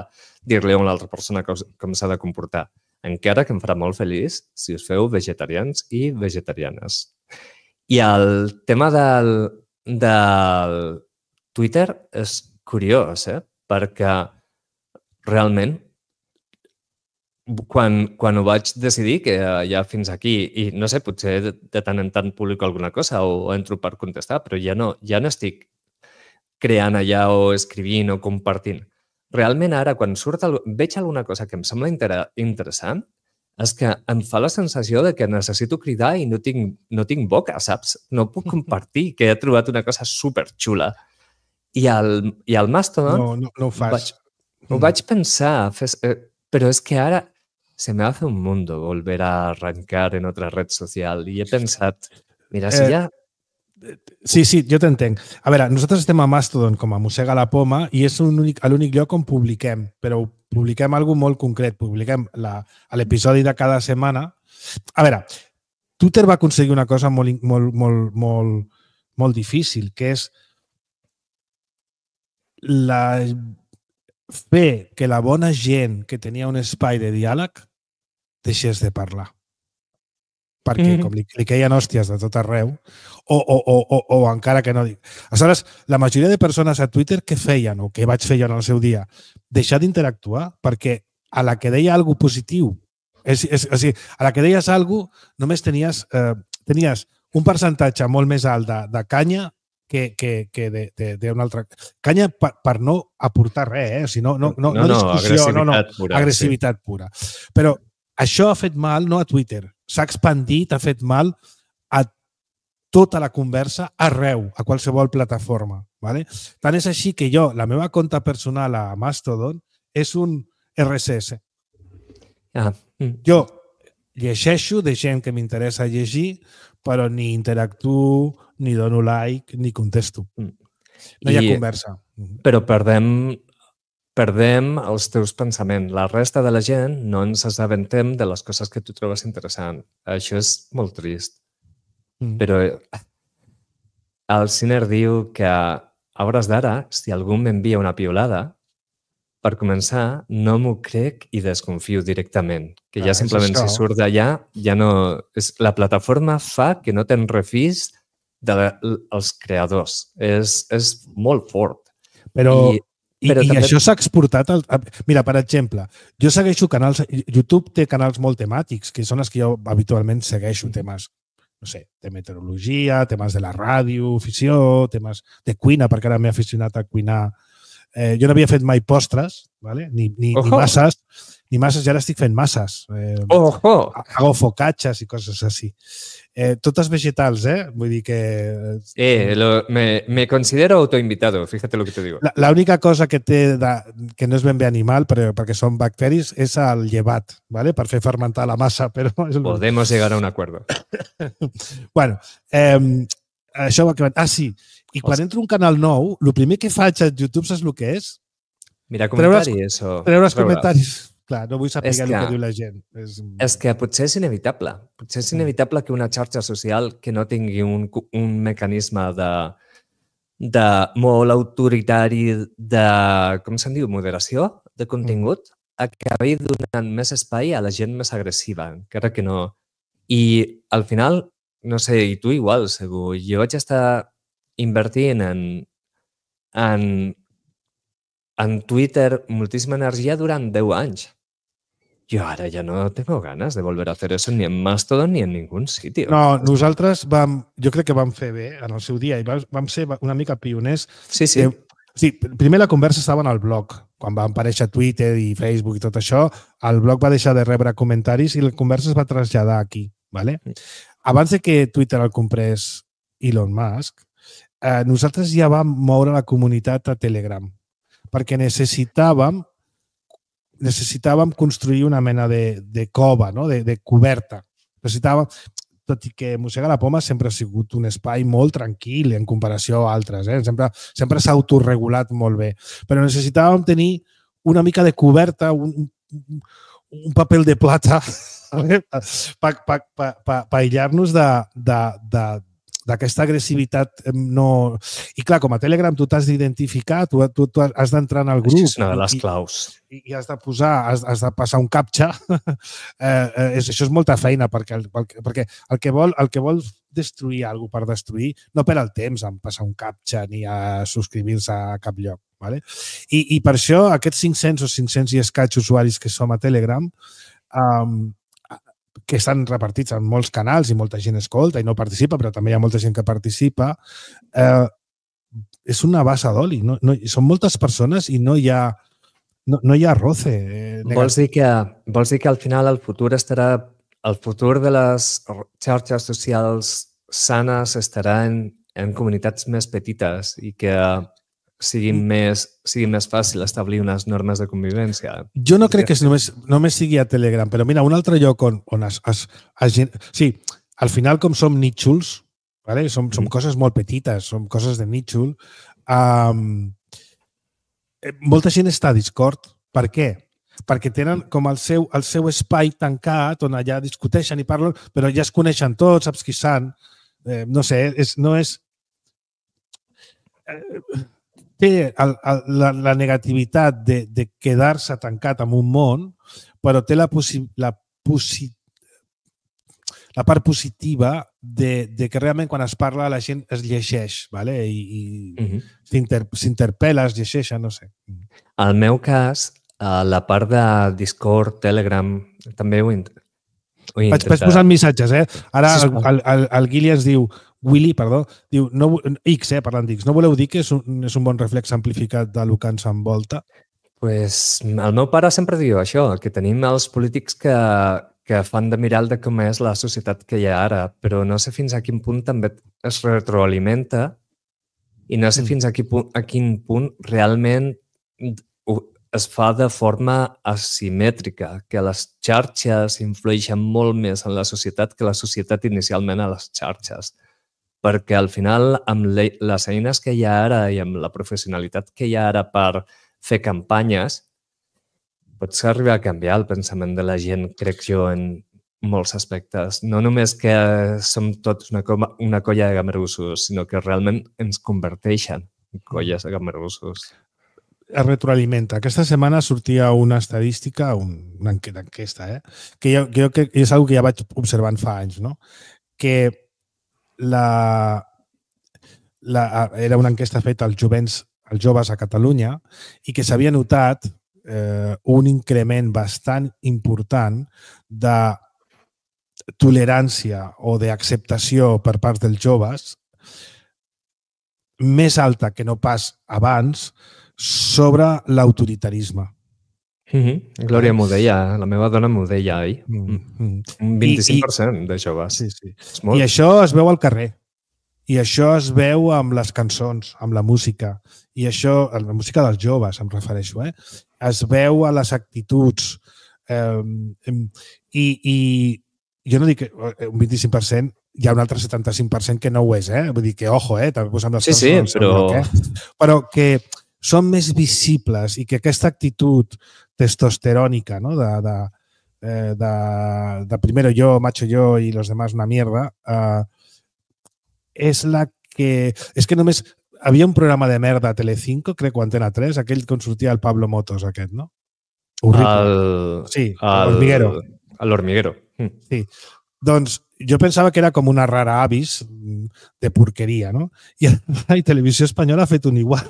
dir-li a una altra persona com s'ha de comportar. Encara que em farà molt feliç si us feu vegetarians i vegetarianes. I el tema del Twitter és curiós, perquè realment quan ho vaig decidir, que ja fins aquí, i no sé, potser de tant en tant publico alguna cosa o entro per contestar, però ja no estic creant allà o escrivint o compartint. Realment ara, quan veig alguna cosa que em sembla interessant, és que em fa la sensació de que necessito cridar i no tinc boca, saps? No puc compartir que he trobat una cosa superxula. I al Mastodon no ho fas. Ho vaig pensar, pero es que ahora se me hace un mundo volver a arrancar en otra red social i he pensat, mira, si ja... Sí, jo t'entenc. A veure, nosaltres estem a Mastodon com a Mossega la Poma i és l'únic lloc on publiquem, però publiquem alguna molt concret. Publiquem l'episodi de cada setmana. A veure, Twitter va aconseguir una cosa molt difícil, que és fer que la bona gent que tenia un espai de diàleg deixés de parlar. Perquè com li queien hòsties de tot arreu, o encara que no dic. Aleshores, la majoria de persones a Twitter què feien, o què vaig fer jo en el seu dia? Deixar d'interactuar, perquè a la que deia alguna cosa positiu, a la que deies alguna cosa, només tenies un percentatge molt més alt de canya que d'una altra... Canya per no aportar res, no discussió, agressivitat pura. Però això ha fet mal no a Twitter, s'ha expandit, ha fet mal a tota la conversa arreu, a qualsevol plataforma. Vale? Tant és així que la meva compte personal a Mastodon és un RSS. Jo llegeixo de gent que m'interessa llegir, però ni interactuo, ni dono like, ni contesto. No hi ha conversa. Però perdem els teus pensaments. La resta de la gent no ens assabentem de les coses que tu trobes interessant. Això és molt trist. Però el Sinner diu que a hores d'ara, si algú m'envia una piulada, per començar, no m'ho crec i desconfio directament. Que ja simplement si surt d'allà, ja no... La plataforma fa que no te'n refis dels creadors. És molt fort. Però això s'ha exportat... Mira, per exemple, jo segueixo canals... YouTube té canals molt temàtics, que són els que jo habitualment segueixo, temes, no sé, de meteorologia, temes de la ràdio, afició, temes de cuina, perquè ara m'he aficionat a cuinar. Jo no havia fet mai postres, ni masses, i ara estic fent masses. Hago focaccias i coses així. Totes vegetals, vull dir que... Me considero autoinvitado, fíjate lo que te digo. La única cosa que té, que no és ben bé animal, perquè són bacteris, és el llevat, per fer fermentar la massa. Podemos llegar a un acuerdo. Bueno, això va acabar. Sí, i quan entro a un canal nou, el primer que faig a YouTube saps el que és? Mira comentaris o... Treure els comentaris. Clar, no vull saber el que diu la gent. És que potser és inevitable. Potser és inevitable que una xarxa social que no tingui un mecanisme de molt autoritari de, com se'n diu, moderació de contingut, acabi donant més espai a la gent més agressiva, encara que no. I al final, no sé, i tu igual, segur, jo vaig estar invertint en Twitter moltíssima energia durant 10 anys. Yo ahora ya no tengo ganas de volver a hacer eso ni en Mastodon ni en ningún sitio. No, nosaltres jo crec que vam fer bé en el seu dia i vam ser una mica pioners. Sí. Primer la conversa estava en el blog. Quan va aparèixer Twitter i Facebook i tot això, el blog va deixar de rebre comentaris i la conversa es va traslladar aquí. Vale? Abans de que Twitter el comprés Elon Musk, nosaltres ja vam moure la comunitat a Telegram perquè necessitàvem construir una mena de cova, no? de coberta. Necessitàvem, tot i que Mossega la Poma sempre ha sigut un espai molt tranquil en comparació a altres. Sempre s'ha autorregulat molt bé. Però necessitàvem tenir una mica de coberta, un paper de plata per aïllar-nos d'aquesta agressivitat no... I clar, com a Telegram tu t'has d'identificar, tu has d'entrar en el grup. Això és una de les claus. I has de passar un captcha. Això és molta feina perquè el que vol destruir alguna cosa per destruir no perd el temps en passar un captcha ni a subscriure-se a cap lloc. Vale? I per això aquests 500 o 500 i escaig usuaris que som a Telegram que estan repartits en molts canals i molta gent escolta i no participa, però també hi ha molta gent que participa, és una bassa d'oli. Són moltes persones i no hi ha roce. Vols dir que al final el futur de les xarxes socials sanes estarà en comunitats més petites i que sigui més fàcil establir unes normes de convivència. Jo no crec que només sigui a Telegram, però mira, un altre lloc on sí, al final com som nítxols, ¿vale? Som coses molt petites, som coses de nítxol, molta gent està a Discord. Per què? Perquè tenen com el seu espai tancat on allà discuteixen i parlen, però ja es coneixen tots, saps qui són. No sé, no és... Té la negativitat de quedar-se tancat en un món, però té la part positiva de que realment quan es parla la gent es llegeix, ¿vale? I s'interpel·la, es llegeix, no sé. Al meu cas, la part de Discord, Telegram, també ho he intentat. Vaig posant missatges, eh? Ara el Guili ens diu, diu, X, parlant d'X, no voleu dir que és un bon reflex amplificat del que ens envolta? Pues el meu pare sempre diu això, que tenim els polítics que fan de mirall de com és la societat que hi ha ara, però no sé fins a quin punt també es retroalimenta i no sé fins a quin punt realment es fa de forma asimètrica, que les xarxes influeixen molt més en la societat que la societat inicialment a les xarxes. Perquè al final, amb les eines que hi ha ara i amb la professionalitat que hi ha ara per fer campanyes, pots arribar a canviar el pensament de la gent, crec jo, en molts aspectes. No només que som tots una colla de gamerussos, sinó que realment ens converteixen en colles de gamerussos. Es retroalimenta. Aquesta setmana sortia una estadística, una enquesta, que jo crec que és una que ja vaig observant fa anys, no? Que era una enquesta feta als joves a Catalunya i que s'havia notat un increment bastant important de tolerància o d'acceptació per part dels joves més alta que no pas abans sobre l'autoritarisme. Glòria m'ho deia, la meva dona m'ho deia ahir. Un 25% de joves. Sí. I això es veu al carrer. I això es veu amb les cançons, amb la música. I això, la música dels joves, em refereixo. Es veu a les actituds. I jo no dic que un 25%, hi ha un altre 75% que no ho és. Vull dir que, ojo, també posem les cançons. Sí, però que són més visibles i que aquesta actitud testosterònica, no? de primero yo, macho yo y los demás una mierda, és la que... És que només... Havia un programa de merda a Telecinco, crec, o Antena 3, aquell on sortia el Pablo Motos, aquest, no? Horrible. Sí, l'Hormiguero. L'Hormiguero. Sí. Doncs jo pensava que era com una rara avis de porqueria, no? I la Televisió Espanyola ha fet un igual.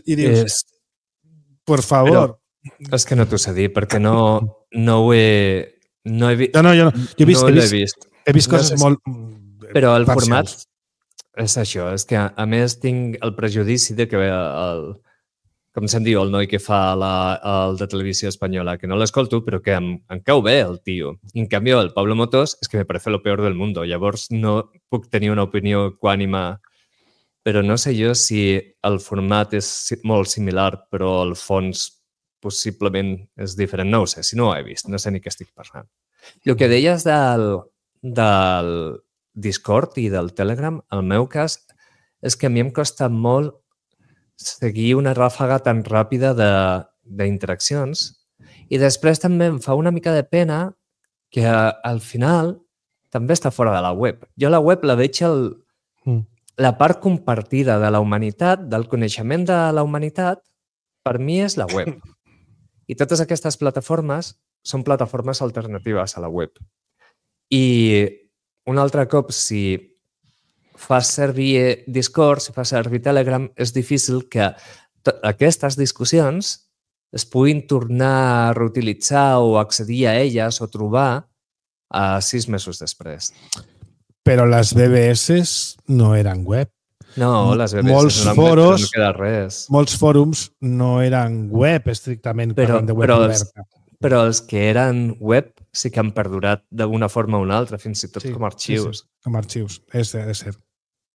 I dius, por favor. Però és que no t'ho sé dir, perquè no ho he... No he vist. No, jo he vist. He vist coses molt... Però el format és això, és que a més tinc el prejudici de que com se'n diu el noi que fa el de Televisió Espanyola, que no l'escolto, però que em cau bé el tio. I en canvi el Pablo Motos és que me parece lo peor del mundo. Llavors no puc tenir una opinió equànime, però no sé jo si el format és molt similar, però el fons possiblement és diferent. No ho sé, si no ho he vist, no sé ni què estic parlant. El que deies del Discord i del Telegram, el meu cas, és que a mi em costa molt seguir una ràfaga tan ràpida d'interaccions i després també em fa una mica de pena que al final també està fora de la web. Jo la web la veig la part compartida de la humanitat, del coneixement de la humanitat, per mi és la web. I totes aquestes plataformes són plataformes alternatives a la web. I un altre cop, si fas servir Discord, si fas servir Telegram, és difícil que aquestes discussions es puguin tornar a reutilitzar o accedir a elles o trobar 6 mesos després. Però les BBS no eren web. No, les BBS no queda res. Molts fòrums no eren web, estrictament parlant de web oberta. Però els que eren web sí que han perdurat d'una forma o una altra, fins i tot com a arxius. Sí, com a arxius, és cert.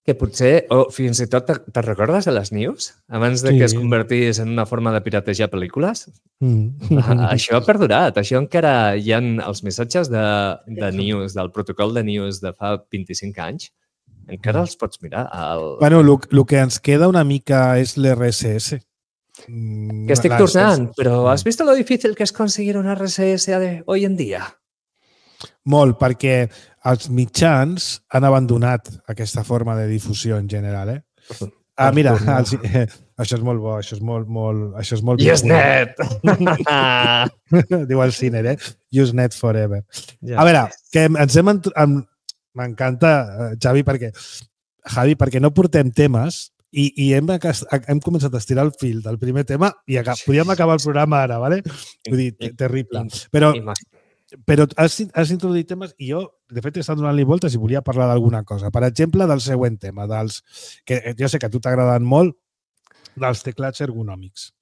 Que potser, o fins i tot, te recordes de les news? Abans de que es convertís en una forma de piratejar pel·lícules? Això ha perdurat. Això encara hi ha els missatges de news, del protocol de news de fa 25 anys. Encara els pots mirar. Bueno, el que ens queda una mica és l'RSS. Que estic tornant, però has vist lo difícil que és conseguir un RSS hoy en dia? Molt, perquè els mitjans han abandonat aquesta forma de difusió en general. Mira, això és molt bo, això és molt... Usenet! Diu el Ciner, Usenet forever. A veure, que ens hem... M'encanta, Javi, perquè no portem temes i hem començat a estirar el fil del primer tema i podíem acabar el programa ara, ¿vale? Vull dir, terrible. Però has introduït temes i jo, de fet, he estat donant-li voltes i volia parlar d'alguna cosa. Per exemple, del següent tema, que jo sé que a tu t'agraden molt, dels teclats ergonòmics.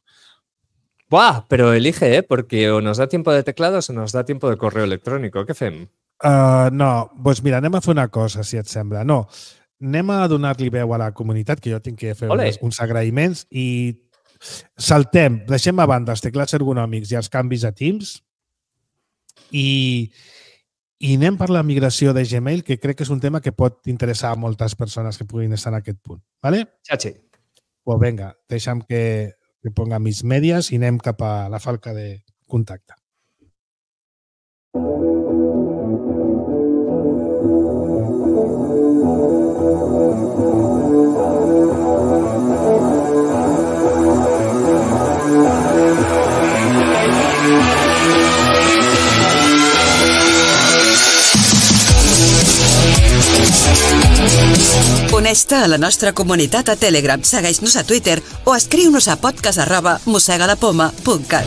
Buah, però elige, porque o nos da tiempo de teclados o nos da tiempo de correo electrónico. Què fem? No, doncs mira, anem a fer una cosa, si et sembla. No, anem a donar-li veu a la comunitat, que jo tinc que fer uns agraïments i saltem, deixem a banda els teclats ergonòmics i els canvis a Teams i anem per la migració de Gmail, que crec que és un tema que pot interessar a moltes persones que puguin estar en aquest punt. ¿Vale? Chachi. Pues venga, deixa'm que ponga mis medias i anem cap a la falca de contacte. Uneix-te a la nostra comunitat a Telegram, segueix-nos a Twitter o escriu-nos a podcast@mossegalapoma.cat.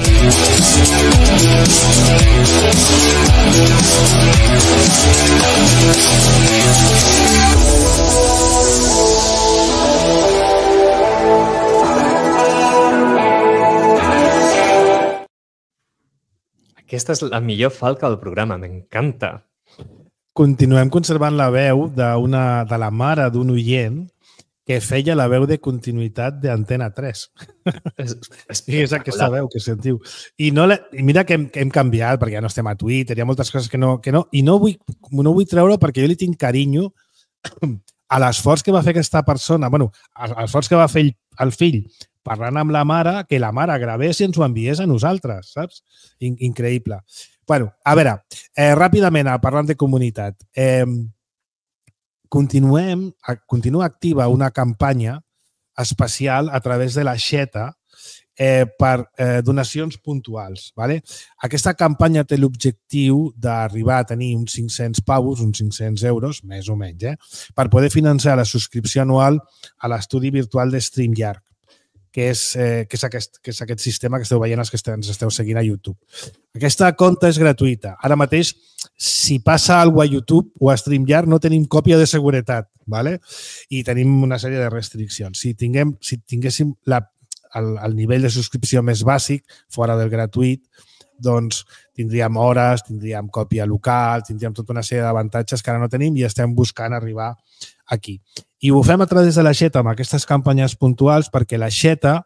Aquesta és la millor falca del programa, m'encanta. Continuem conservant la veu de la mare d'un oient que feia la veu de continuïtat d'Antena 3. És aquesta veu que sentiu. I mira que hem canviat, perquè ja no estem a Twitter, hi ha moltes coses que no, i no vull treure perquè jo li tinc carinyo a l'esforç que va fer aquesta persona, l'esforç que va fer el fill parlant amb la mare, que la mare gravés i ens ho enviés a nosaltres, saps? Increïble. A veure, ràpidament, parlant de comunitat, continua activa una campanya especial a través de la Xeta per donacions puntuals. Aquesta campanya té l'objectiu d'arribar a tenir uns 500 pavos, uns 500 euros, més o menys, per poder finançar la subscripció anual a l'estudi virtual de StreamYard, que és aquest sistema que esteu veient els que ens esteu seguint a YouTube. Aquesta compte és gratuïta. Ara mateix, si passa alguna cosa a YouTube o a StreamYard, no tenim còpia de seguretat, i tenim una sèrie de restriccions. Si tinguéssim el nivell de subscripció més bàsic, fora del gratuït, doncs tindríem hores, tindríem còpia local, tindríem tota una sèrie d'avantatges que ara no tenim i estem buscant arribar aquí. I ho fem a través de la Xeta amb aquestes campanyes puntuals perquè la Xeta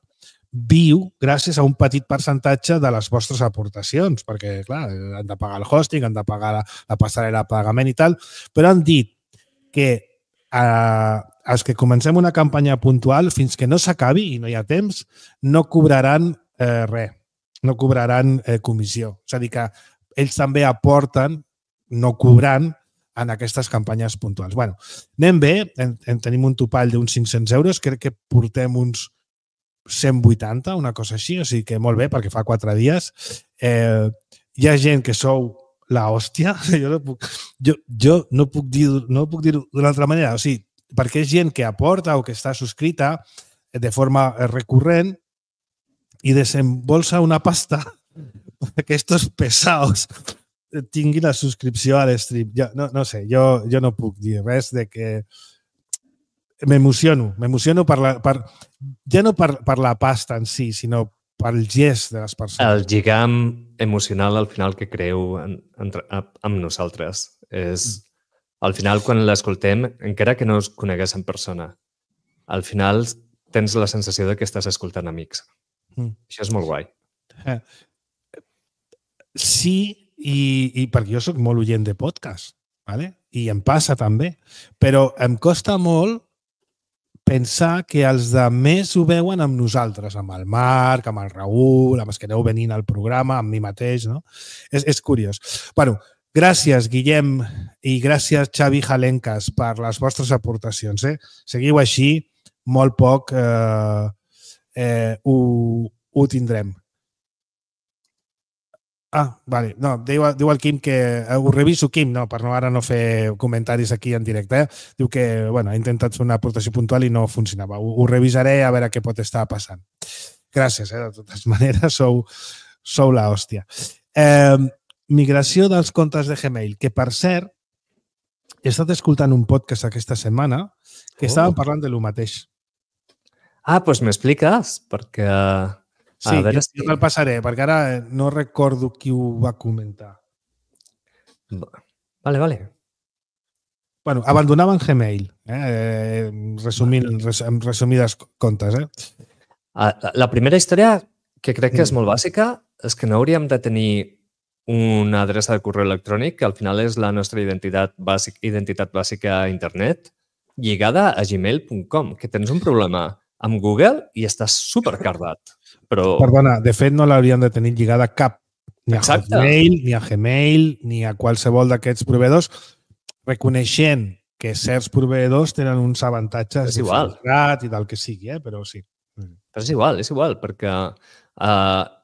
viu gràcies a un petit percentatge de les vostres aportacions, perquè, clar, han de pagar el hosting, han de pagar la passarel·la de pagament i tal, però han dit que els que comencem una campanya puntual, fins que no s'acabi i no hi ha temps, no cobraran res, no cobraran comissió. És a dir, que ells també aporten, no cobrant, en aquestes campanyes puntuals. Bueno, anem bé, tenim un topall d'uns 500 euros, crec que portem uns 180, una cosa així, o sigui que molt bé, perquè fa 4 dies. Hi ha gent que sou la hòstia, jo no puc dir-ho d'una altra manera, o sigui, perquè és gent que aporta o que està subscrita de forma recurrent i desembolsa una pasta perquè estos pesaos tinguin la subscripció a l'stream. No sé, jo no puc dir res de que m'emociono ja no per la pasta en si, sinó pel gest de les persones. El lligam emocional al final que creu amb nosaltres és, al final, quan l'escoltem, encara que no us conegués en persona, al final tens la sensació de que estàs escoltant amics. Això és molt guai. Sí, i perquè jo soc molt oient de podcast, ¿vale? I em passa també, però em costa molt pensar que els de més ho veuen amb nosaltres, amb el Marc, amb el Raül, amb els que aneu venint al programa, amb mi mateix, no? És curiós. Bueno, gràcies, Guillem, i gràcies, Xavi Jalencas, per les vostres aportacions. Seguiu així, molt poc ho tindrem. Vale. No, diu el Quim que ho reviso, Quim, no, per ara no fer comentaris aquí en directe. Diu que, bueno, ha intentat fer una aportació puntual i no funcionava. Ho revisaré a veure què pot estar passant. Gràcies, de totes maneres, sou la hòstia. Migració dels comptes de Gmail, que per cert, he estat escoltant un podcast aquesta setmana que estàvem parlant de lo mateix. Doncs m'expliques, perquè... Sí, jo te'l passaré, perquè ara no recordo qui ho va comentar. Vale. Bueno, abandonaven Gmail, en resumides comptes. La primera història, que crec que és molt bàsica, és que no hauríem de tenir una adreça de correu electrònic, que al final és la nostra identitat bàsica a internet, lligada a gmail.com, que tens un problema amb Google i estàs supercardat. Perdona, de fet no l'haurien de tenir lligada cap, ni a Hotmail, ni a Gmail, ni a qualsevol d'aquests proveïdors, reconeixent que certs proveïdors tenen uns avantatges de filtrat i del que sigui, però sí. Però és igual, perquè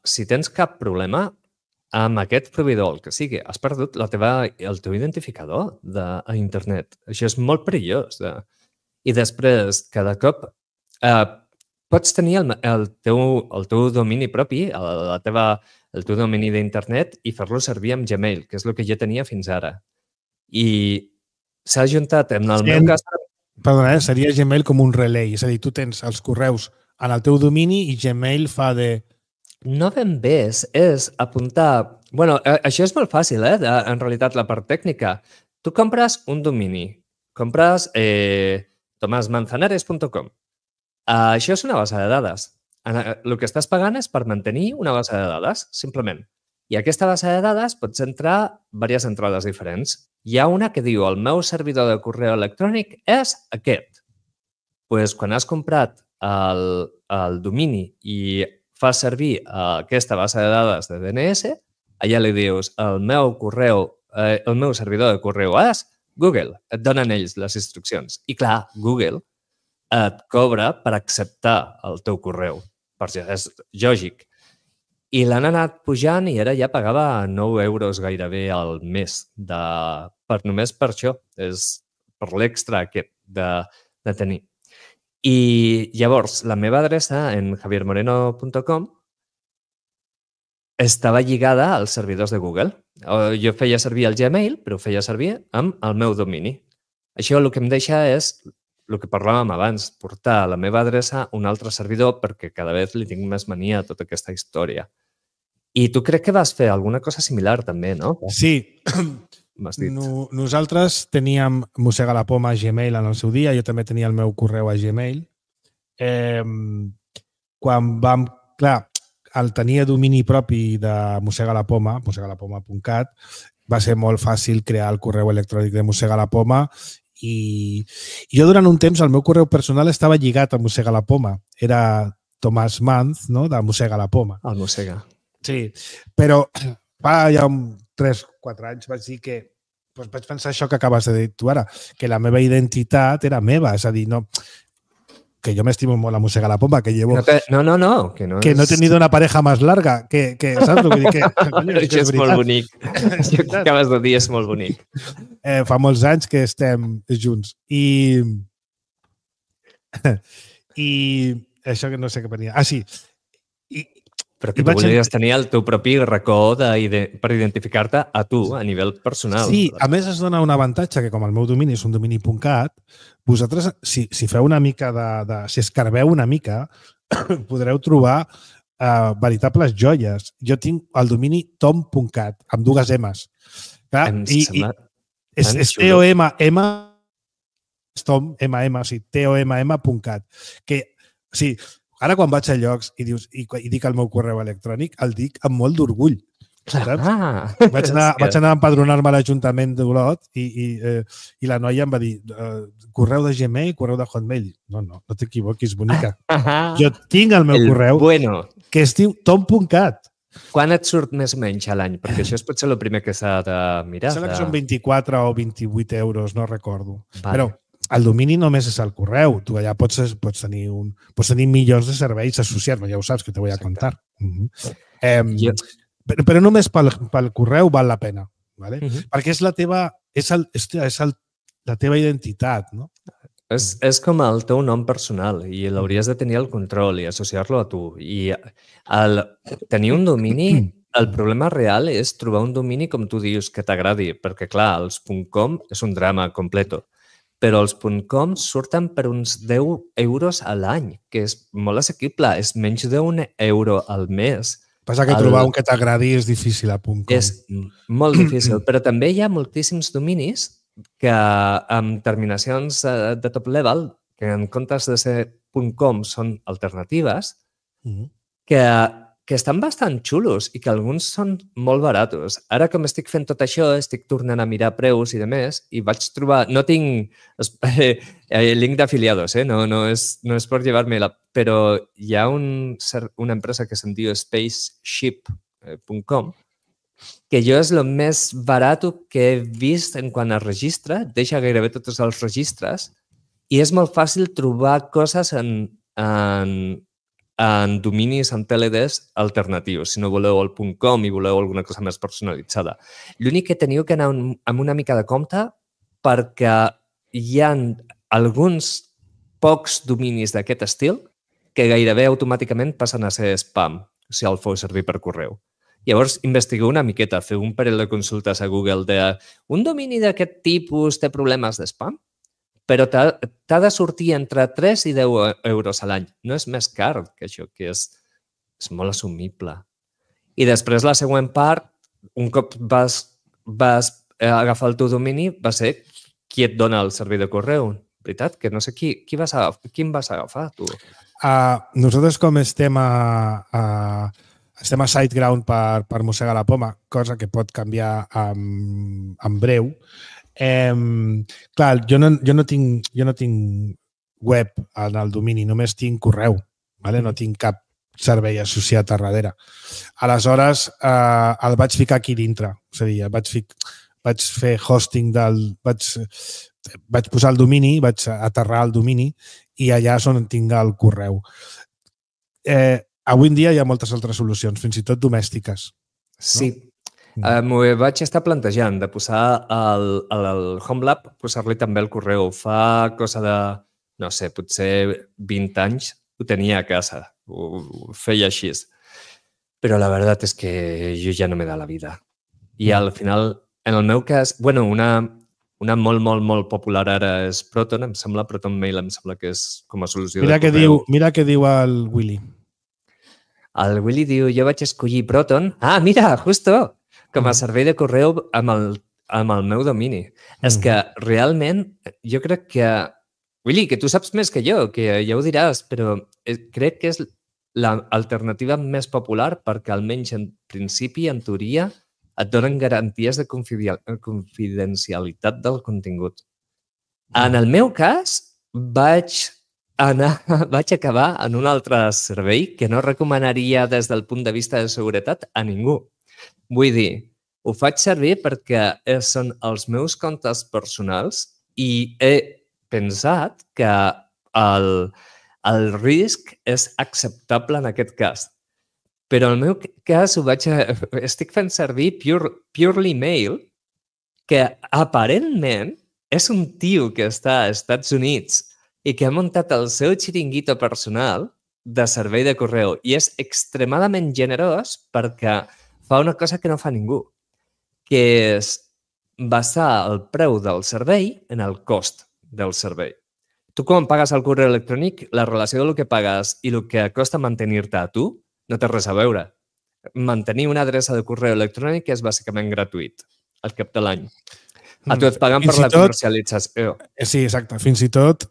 si tens cap problema amb aquest proveïdor, el que sigui, has perdut el teu identificador a internet. Això és molt perillós. I després, cada cop pots tenir el teu domini propi, el teu domini d'internet i fer-lo servir amb Gmail, que és el que jo tenia fins ara. I s'ha juntat en el meu cas... Perdona, seria Gmail com un relay. És a dir, tu tens els correus en el teu domini i Gmail fa de... No ben bé, és apuntar... Bueno, això és molt fàcil, en realitat, la part tècnica. Tu compres un domini, compres tomasmanzanares.com. Això és una base de dades. El que estàs pagant és per mantenir una base de dades, simplement. I a aquesta base de dades pots entrar diverses entrades diferents. Hi ha una que diu el meu servidor de correu electrònic és aquest. Doncs quan has comprat el domini i fas servir aquesta base de dades de DNS, allà li dius el meu servidor de correu és Google. Et donen ells les instruccions. I clar, Google et cobra per acceptar el teu correu. És lògic. I l'han anat pujant i ara ja pagava 9 euros gairebé al mes només per això. És per l'extra aquest de tenir. I llavors, la meva adreça en javiermoreno.com estava lligada als servidors de Google. Jo feia servir el Gmail, però ho feia servir amb el meu domini. Això el que em deixa és el que parlàvem abans, portar la meva adreça a un altre servidor perquè cada vegada li tinc més mania a tota aquesta història. I tu crec que vas fer alguna cosa similar també, no? Sí. Nosaltres teníem Mossega la Poma a Gmail en el seu dia, jo també tenia el meu correu a Gmail. Quan vam... Clar, al tenir domini propi de Mossega la Poma, mossegalapoma.cat, va ser molt fàcil crear el correu electrònic de Mossega la Poma i jo durant un temps el meu correu personal estava lligat a Mossega la Poma. Era Tomàs Manz, no?, de Mossega la Poma. El Mossega. Sí, però fa ja 3-4 anys vaig dir que doncs vaig pensar això que acabes de dir tu ara, que la meva identitat era meva, és a dir, no, que yo me estimo molt a Mossegar la Poma, que llevo... No, que no he tenido una pareja más larga, que ¿sabes? Vull dir que això és molt bonic. Això que acabes de dir és molt bonic. Fa molts anys que estem junts. I això que no sé què venia. Ah, sí. Però que tu volies tenir el teu propi racó per identificar-te a tu, a nivell personal. Sí, a més es dona un avantatge que com el meu domini és un domini.cat, vosaltres, si feu una mica si escarbeu una mica, podreu trobar veritables joies. Jo tinc el domini tom.cat, amb 2 M's. Clar, és T-O-M-M, Tom, M-M, sí, T-O-M-M.cat. Que, sí, ara quan vaig a llocs i dic el meu correu electrònic, el dic amb molt d'orgull. Vaig anar a empadronar-me a l'Ajuntament d'Olot i la noia em va dir correu de Gmail, correu de Hotmail. No t'equivoquis, bonica. Jo tinc el meu correu que es diu tom.cat. Quan et surt més o menys a l'any? Perquè això és potser el primer que s'ha de mirar. Sembla que són 24 o 28 euros, no recordo. Però el domini només és el correu. Tu allà pots tenir milions de serveis associats, ja ho saps, que te voy a contar. Però només pel correu val la pena, ¿vale? Perquè és la teva identitat, no? És com el teu nom personal i l'hauries de tenir el control i associar-lo a tu. I tenir un domini, el problema real és trobar un domini, com tu dius, que t'agradi, perquè, clar, els .com és un drama completo, però els .com surten per uns 10 euros a l'any, que és molt assequible, és menys d'1 euro al mes. Passa que trobar un que t'agradi és difícil a .com. És molt difícil, però també hi ha moltíssims dominis que amb terminacions de top level, que en comptes de ser .com són alternatives, que estan bastant xulos i que alguns són molt baratos. Ara, com estic fent tot això, estic tornant a mirar preus i demés i vaig trobar... No tinc link d'afiliados, no és per llevar-me-la, però hi ha una empresa que se'n diu spaceship.com que jo és el més barat que he vist en quant a registre, deixa gairebé tots els registres i és molt fàcil trobar coses en dominis, en TLDs alternatius, si no voleu el .com i voleu alguna cosa més personalitzada. L'únic que teniu que anar amb una mica de compte perquè hi ha alguns pocs dominis d'aquest estil que gairebé automàticament passen a ser spam si el feu servir per correu. Llavors, investigueu una miqueta, feu un parell de consultes a Google de un domini d'aquest tipus té problemes de spam? Però t'ha de sortir entre 3 i 10 euros a l'any. No és més car que això, que és molt assumible. I després la següent part, un cop vas agafar el teu domini, va ser qui et dona el servei de correu. Veritat? Que no sé quin vas agafar, tu? Nosaltres com estem a SiteGround per Mossegar la Poma, cosa que pot canviar en breu. Clar, jo no tinc web en el domini, només tinc correu, ¿vale? No tinc cap servei associat a darrere. Aleshores, el vaig ficar aquí dintre. És a dir, vaig fer hosting vaig posar el domini, vaig aterrar el domini i allà és on tinc el correu. Avui en dia hi ha moltes altres solucions, fins i tot domèstiques. Sí. M'ho vaig estar plantejant de posar al HomeLab, posar-li també el correu. Fa cosa de, no sé, potser 20 anys ho tenia a casa, ho feia així. Però la veritat és que jo ja no me da la vida. I al final, en el meu cas, bueno, una molt, molt, molt popular ara és Proton, em sembla, Proton Mail em sembla que és com a solució de correu. Mira què diu el Willy. El Willy diu, jo vaig escollir Proton. Ah, mira, justo! Com a servei de correu amb el meu domini. És que realment jo crec que... Willy, que tu saps més que jo, que ja ho diràs, però crec que és l'alternativa més popular perquè almenys en principi, en teoria, et donen garanties de confidencialitat del contingut. En el meu cas, vaig acabar en un altre servei que no recomanaria des del punt de vista de seguretat a ningú. Vull dir, Ho faig servir perquè són els meus comptes personals i he pensat que el risc és acceptable en aquest cas. Però en el meu cas estic fent servir Purely Mail, que aparentment és un tio que està als Estats Units i que ha muntat el seu xiringuito personal de servei de correu i és extremadament generós perquè fa una cosa que no fa ningú, que és basar el preu del servei en el cost del servei. Tu quan pagues el correu electrònic, la relació del que pagues i el que costa mantenir-te a tu no té res a veure. Mantenir una adreça de correu electrònic és bàsicament gratuït al cap de l'any. A tu et paguen per la comercialització. Sí, exacte. Fins i tot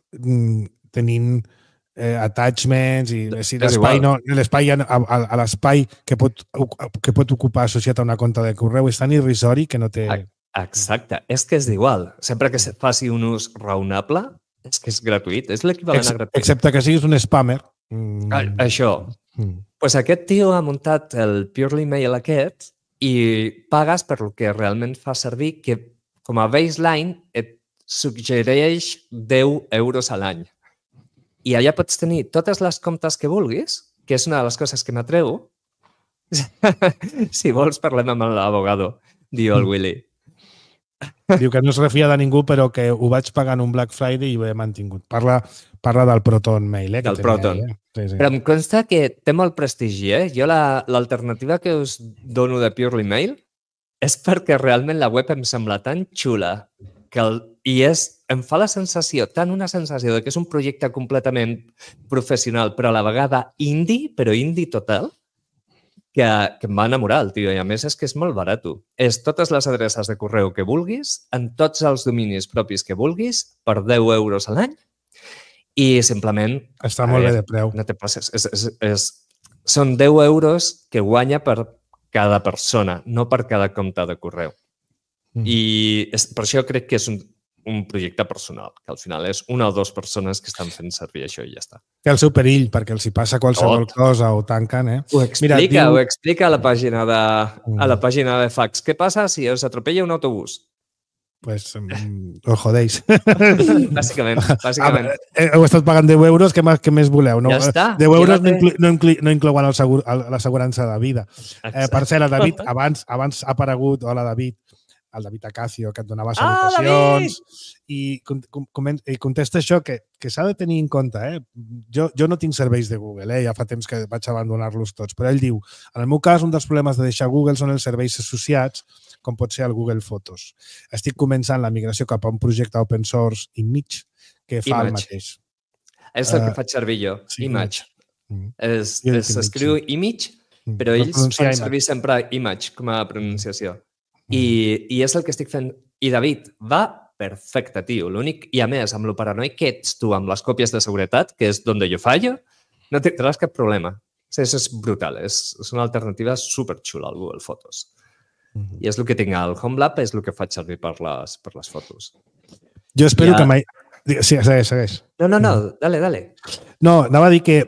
tenint attachments i l'espai a l'espai que pot ocupar associat a una compte de correu és tan irrisori que no té... Exacte. És que és igual. Sempre que se faci un ús raonable, és que és gratuït. És l'equivalent a gratuït. Excepte que siguis un spammer. Això. Pues aquest tio ha muntat el Purely Mail aquest i pagues per el que realment fa servir, que com a baseline et suggereix 10 euros a l'any. I allà pots tenir totes les comptes que vulguis, que és una de les coses que m'atreu. Si vols, parlem amb l'abogado, diu el Willy. Diu que no es refia de ningú, però que ho vaig pagar en un Black Friday i ho he mantingut. Parla del Proton Mail. Del Proton. Sí. Però em consta que té molt prestigi. Jo l'alternativa que us dono de Purely Mail és perquè realment la web em sembla tan xula em fa la sensació, una sensació de que és un projecte completament professional, però a la vegada indie, però indie total, que em va enamorar el tio. I a més és que és molt barat. És totes les adreces de correu que vulguis, en tots els dominis propis que vulguis, per 10 euros a l'any. I simplement... Està molt bé de preu. No te passes. Són 10 euros que guanya per cada persona, no per cada compte de correu. I per això crec que és un projecte personal, que al final és una o dues persones que estan fent servir això i ja està. Té el seu perill, perquè els hi passa qualsevol cosa o tanquen, Ho explica a la pàgina de fax. Què passa si us atropella un autobús? Pues os jodéis. Bàsicament. Heu estat pagant 10 euros, què més voleu? Ja està. 10 euros no inclouen l'assegurança de vida. Per cert, el David, abans ha aparegut, hola David, el David Acacio, que et donava salutacions, i contesta això, que s'ha de tenir en compte. Jo no tinc serveis de Google, ja fa temps que vaig abandonar-los tots, però ell diu, en el meu cas, un dels problemes de deixar Google són els serveis associats, com pot ser el Google Fotos. Estic començant la migració cap a un projecte open source Image, que fa el mateix. És el que faig servir jo, Image. S'escriu Image, però ells fan servir sempre Image com a pronunciació. I és el que estic fent. I David, va perfecte, tio. L'únic, i a més, amb lo paranoic que ets tu amb les còpies de seguretat, que és donde jo fallo, no tindràs cap problema. És brutal. És una alternativa superxula al Google Fotos. I és el que tinc al HomeLab, és el que faig servir per les fotos. Jo espero que mai... Sí, segueix. No, dale. No, anava a dir que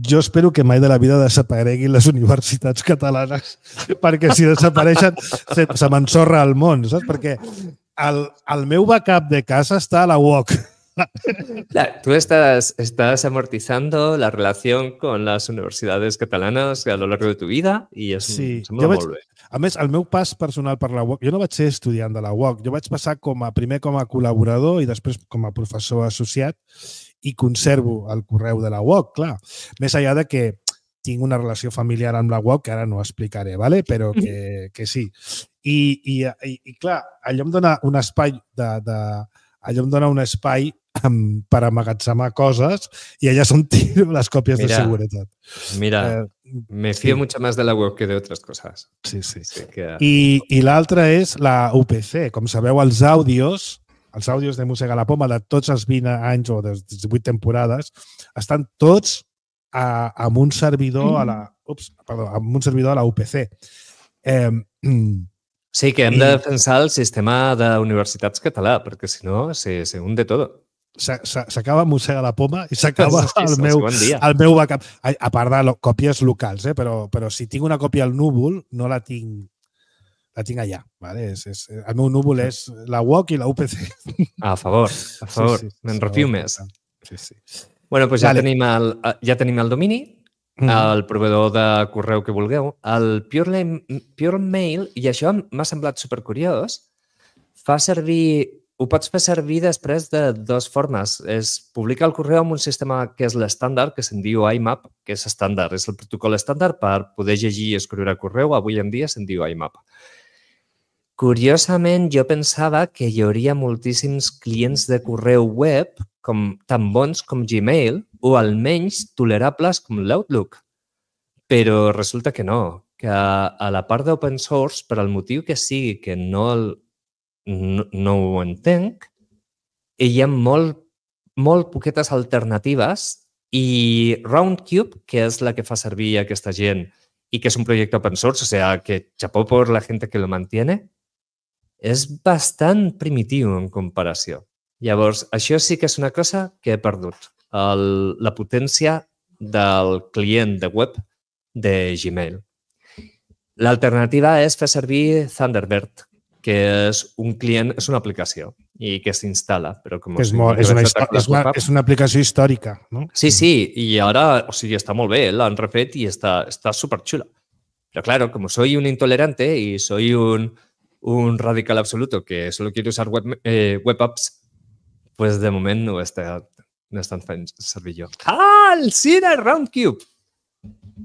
jo espero que mai de la vida desapareguin les universitats catalanes, perquè si desapareixen se m'ensorra el món, saps? Perquè el meu backup de casa està a la UOC. Tú estás amortizando la relación con las universidades catalanas a lo largo de tu vida i sembla molt bé. A més, el meu pas personal per la UOC, jo no vaig ser estudiant de la UOC, jo vaig passar primer com a col·laborador i després com a professor associat i conservo el correu de la UOC, clar. Més enllà de que tinc una relació familiar amb la UOC, que ara no explicaré, ¿vale? Però que sí. I clar, allò em dona un espai per amagatzemar coses i allà són tiro les còpies de seguretat. Mira, me fío mucho más de la web que de otras cosas. Sí. I l'altra és la UPC. Com sabeu, els àudios de Mossega la Poma de tots els 20 anys o de 18 temporades estan tots amb un servidor a la UPC. Sí, que hem de defensar el sistema d'universitats català, perquè si no se hunde tot. s'acaba Mossega la Poma i s'acaba el meu backup. A part de còpies locals, però si tinc una còpia al núvol, no la tinc allà. Vale? El meu núvol és la UOC i la UPC. A favor. Me'n refio més. Sí. Bueno, doncs ja tenim el domini, el proveïdor de correu que vulgueu. El Pure Mail, i això m'ha semblat supercuriós, ho pots fer servir després de dues formes. Publica el correu amb un sistema que és l'estàndard, que se'n diu IMAP, que és estàndard. És el protocol estàndard per poder llegir i escriure correu. Avui en dia se'n diu IMAP. Curiosament, jo pensava que hi hauria moltíssims clients de correu web tan bons com Gmail o almenys tolerables com l'Outlook. Però resulta que no, que a la part d'open source, per al motiu que sigui que no ho entenc, hi ha molt poquetes alternatives i Roundcube, que és la que fa servir aquesta gent i que és un projecte open source, o sea, que chapó por la gente que lo mantiene, és bastant primitiu en comparació. Llavors, això sí que és una cosa que he perdut, la potència del client de web de Gmail. L'alternativa és fer servir Thunderbird, que és un client, és una aplicació i que s'instal·la. És una aplicació històrica, no? Sí, i ara, està molt bé, l'han refet i està superxula. Però claro, como soy un intolerante y soy un radical absoluto que solo quiere usar web apps, pues de moment no estan fent servir jo. El Sinner Roundcube!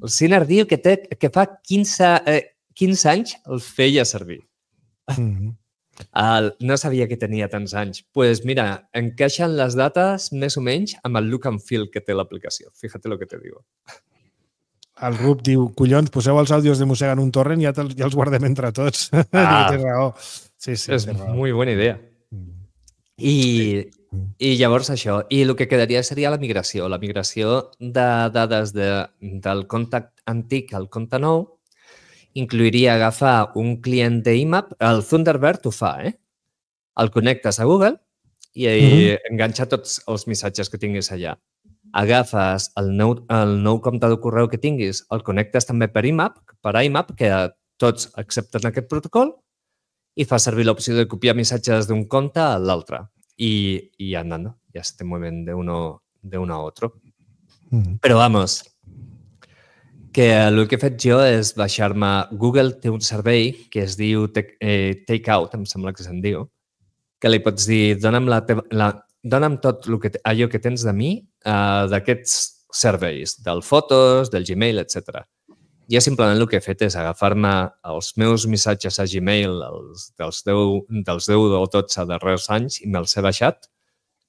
El Sinner diu que fa 15 anys el feia servir. No sabia que tenia tants anys. Doncs pues mira, encaixen les dates més o menys amb el look and feel que té l'aplicació. Fíjate lo que te digo. El Rup diu, collons, poseu els àudios de Mossega en un torrent i ja els guardem entre tots. Té raó. Sí, és muy buena idea. I llavors això. I el que quedaria seria la migració. La migració de dades del compte antic al compte nou incluiria agafar un client d'IMAP. El Thunderbird ho fa, El connectes a Google i enganxa tots els missatges que tinguis allà. Agafes el nou compte de correu que tinguis, el connectes també per IMAP, que tots accepten aquest protocol, y fa servir la opción de copiar missatges d'un compte a l'altre. Y andando, ya se te mueven de uno a otro. Però vamos, que el que he fet jo és baixar-me... Google té un servei que es diu Takeout, em sembla que se'n diu, que li pots dir, dona'm tot allò que tens de mi d'aquests serveis, del Fotos, del Gmail, etc. Jo simplement el que he fet és agafar-me els meus missatges a Gmail dels 10 o 12 darrers anys i me'ls he baixat.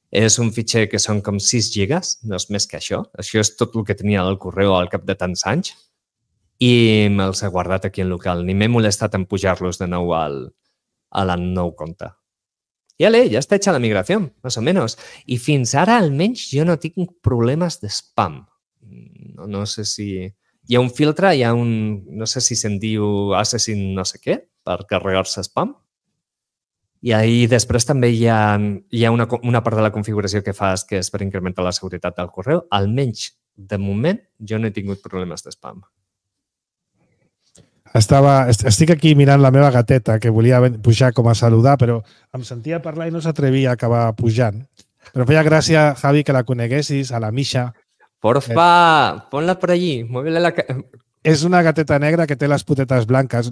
És un fitxer que són com 6 gigas, no és més que això. Això és tot el que tenia al correu al cap de tants anys i me'ls he guardat aquí en local. Ni m'he molestat en pujar-los de nou al nou compte. Ja està hecha la migració, més o menys. I fins ara, almenys, jo no tinc problemes de spam. No sé si... Hi ha un filtre, no sé si se'n diu Assassin no sé què, per carregar-se spam. I ahí després també hi ha una part de la configuració que fas que és per incrementar la seguretat del correu. Almenys, de moment, jo no he tingut problemes de spam. Estic aquí mirant la meva gateta, que volia pujar com a saludar, però em sentia parlar i no s'atrevia a acabar pujant. Però feia gràcia, Javi, que la coneguessis, a la Misha. Porfa, ponla por allí. És una gateta negra que té les potetes blanques.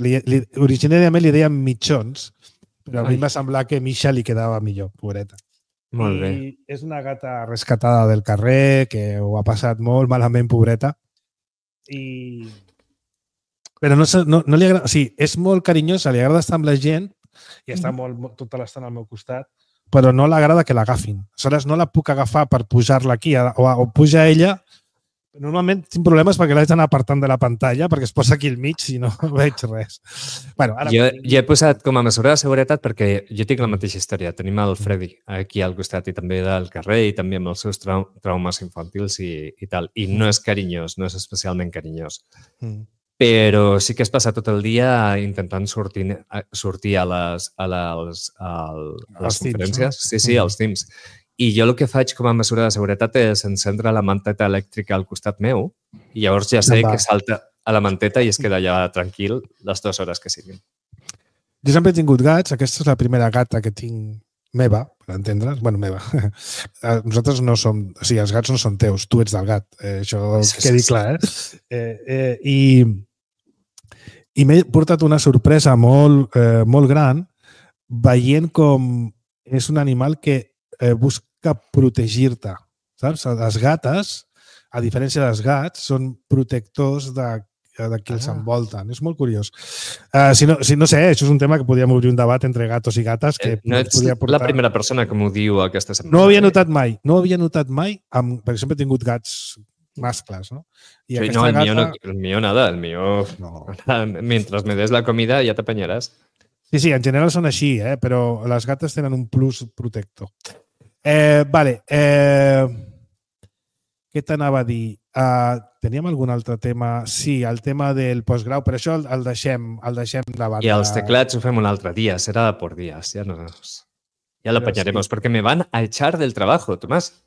Originàriament li deien mitjons, però a mi em va semblar que Misha li quedava millor, pobreta. Molt bé. I és una gata rescatada del carrer, que ho ha passat molt malament, pobreta. Però no li agrada... O sigui, és molt carinyosa, li agrada estar amb la gent i està tota l'estona al meu costat, però no l'agrada que l'agafin. Aleshores, no la puc agafar per pujar-la aquí o puja ella. Normalment tinc problemes perquè l'haig d'anar apartant de la pantalla perquè es posa aquí al mig i no veig res. Jo he posat com a mesura de seguretat perquè jo tinc la mateixa història. Tenim el Freddy aquí al costat i també del carrer i també amb els seus traumes infantils i tal. I no és carinyós, no és especialment carinyós. Però sí que es passa tot el dia intentant sortir a les conferències. Sí, als Teams. I jo el que faig com a mesura de seguretat és encendre la manteta elèctrica al costat meu i llavors ja sé que salta a la manteta i es queda allà tranquil les 2 hores que siguin. Jo sempre he tingut gats. Aquesta és la primera gata que tinc meva, per entendre's. Bueno, meva. Nosaltres no som... O sigui, els gats no són teus, tu ets del gat. Això quedi clar, I m'he portat una sorpresa molt gran veient com és un animal que busca protegir-te, saps? Les gates, a diferència dels gats, són protectors de qui els envolten. És molt curiós. No sé, això és un tema que podríem obrir un debat entre gatos i gates. Que no ets la primera persona que m'ho diu aquesta setmana. No ho havia notat mai. Perquè sempre he tingut gats mascles, ¿no? Y sí, no, el mío nada, el mío... No. Mientras me des la comida ja t'apanyaràs. Sí, en general són així, però les gates tenen un plus protector. Vale. Què t'anava a dir? Teníem algun altre tema? Sí, el tema del postgrau, però això el deixem de banda. I els teclats ho fem un altre dia, serà por días. Ja l'apanyaremos, perquè me van a echar del trabajo, Tomàs.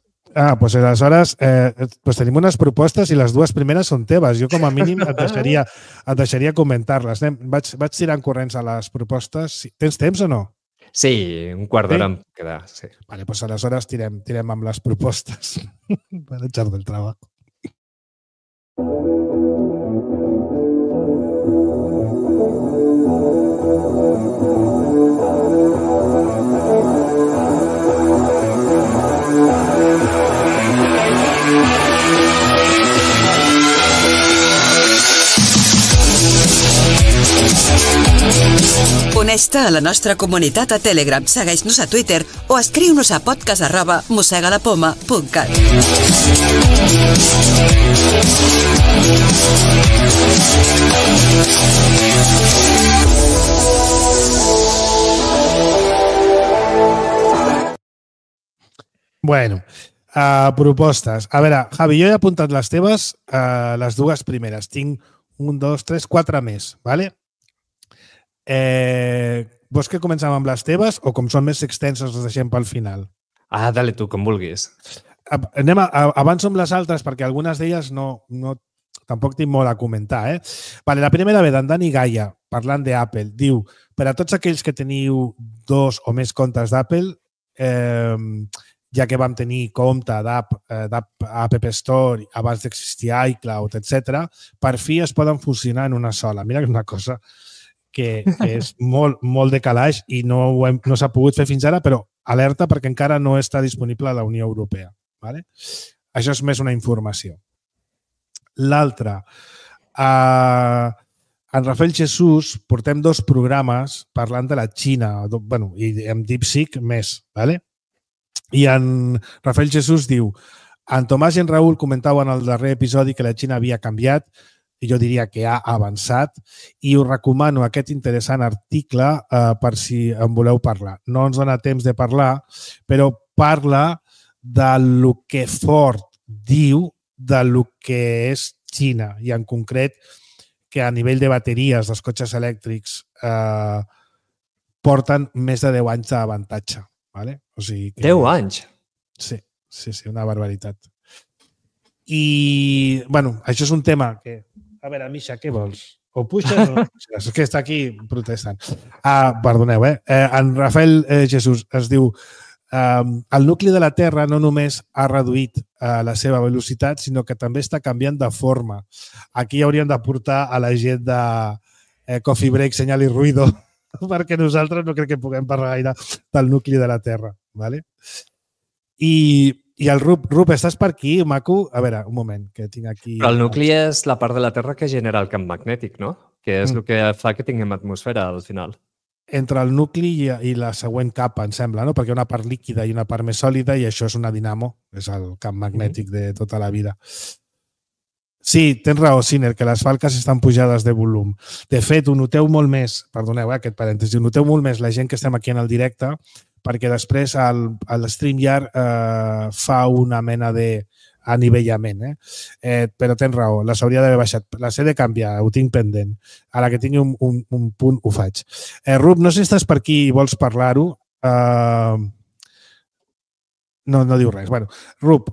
Pues aleshores tenim unes propostes i les 2 primeres són teves. Jo, com a mínim, et deixaria comentar-les. Vaig tirant corrents a les propostes. Tens temps o no? Sí, un quart d'hora em queda. Sí. Vale, pues aleshores tirem amb les propostes per echar del trabajo. Uneix-te a la nostra comunitat a Telegram, segueix-nos a Twitter o escriu-nos a podcast@mosegalapoma.cat. Bueno, propostes. A veure, Javi, jo he apuntat les teves, les 2 primeres. Tinc 1, 2, 3, 4 més, ¿vale? Vols que comencem amb les teves o com són més extenses les deixem pel final? Dale tu, com vulguis. Avanço amb les altres perquè algunes d'elles tampoc tinc molt a comentar. Vale, la primera ve d'en Dani Gaia, parlant d'Apple. Diu, per a tots aquells que teniu 2 o més comptes d'Apple, ja que vam tenir compte d'App Store abans d'existir iCloud, etc., per fi es poden fusionar en una sola. Mira que és una cosa que és molt de calaix i no s'ha pogut fer fins ara, però alerta perquè encara no està disponible a la Unió Europea. Vale? Això és més una informació. L'altra, en Rafael Jesús portem 2 programes parlant de la Xina, i amb DeepSeek més. Vale? I en Rafael Jesús diu, en Tomàs i en Raül comentaven en el darrer episodi que la Xina havia canviat, i jo diria que ha avançat, i us recomano aquest interessant article per si en voleu parlar. No ens dona temps de parlar, però parla del que Ford diu del que és Xina, i en concret que a nivell de bateries dels cotxes elèctrics porten més de 10 anys d'avantatge. Vale? O sigui que... 10 anys? Sí, una barbaritat. I, això és un tema que... A veure, Misha, què vols? O puixes o no puixes? És que està aquí protestant. Perdoneu, En Rafael Jesús es diu el nucli de la Terra no només ha reduït la seva velocitat, sinó que també està canviant de forma. Aquí hauríem de portar a la gent de Coffee Break, Senyal i Ruido, perquè nosaltres no crec que puguem parlar gaire del nucli de la Terra. Vale? I el Rup, estàs per aquí, maco? A veure, un moment, que tinc aquí... Però el nucli és la part de la Terra que genera el camp magnètic, no? Que és el que fa que tinguem atmosfera al final. Entre el nucli i la següent capa, em sembla, no? Perquè hi ha una part líquida i una part més sòlida i això és una dinamo, és el camp magnètic de tota la vida. Sí, tens raó, Siner, que les falques estan pujades de volum. De fet, ho noteu molt més, perdoneu aquest parèntesi, ho noteu molt més la gent que estem aquí en el directe, perquè després el StreamYard fa una mena d'anivellament. Però tens raó, les hauria d'haver baixat. Les he de canviar, ho tinc pendent. A la que tingui un punt ho faig. Rup, no sé si estàs per aquí i vols parlar-ho. No diu res. Bueno, Rup,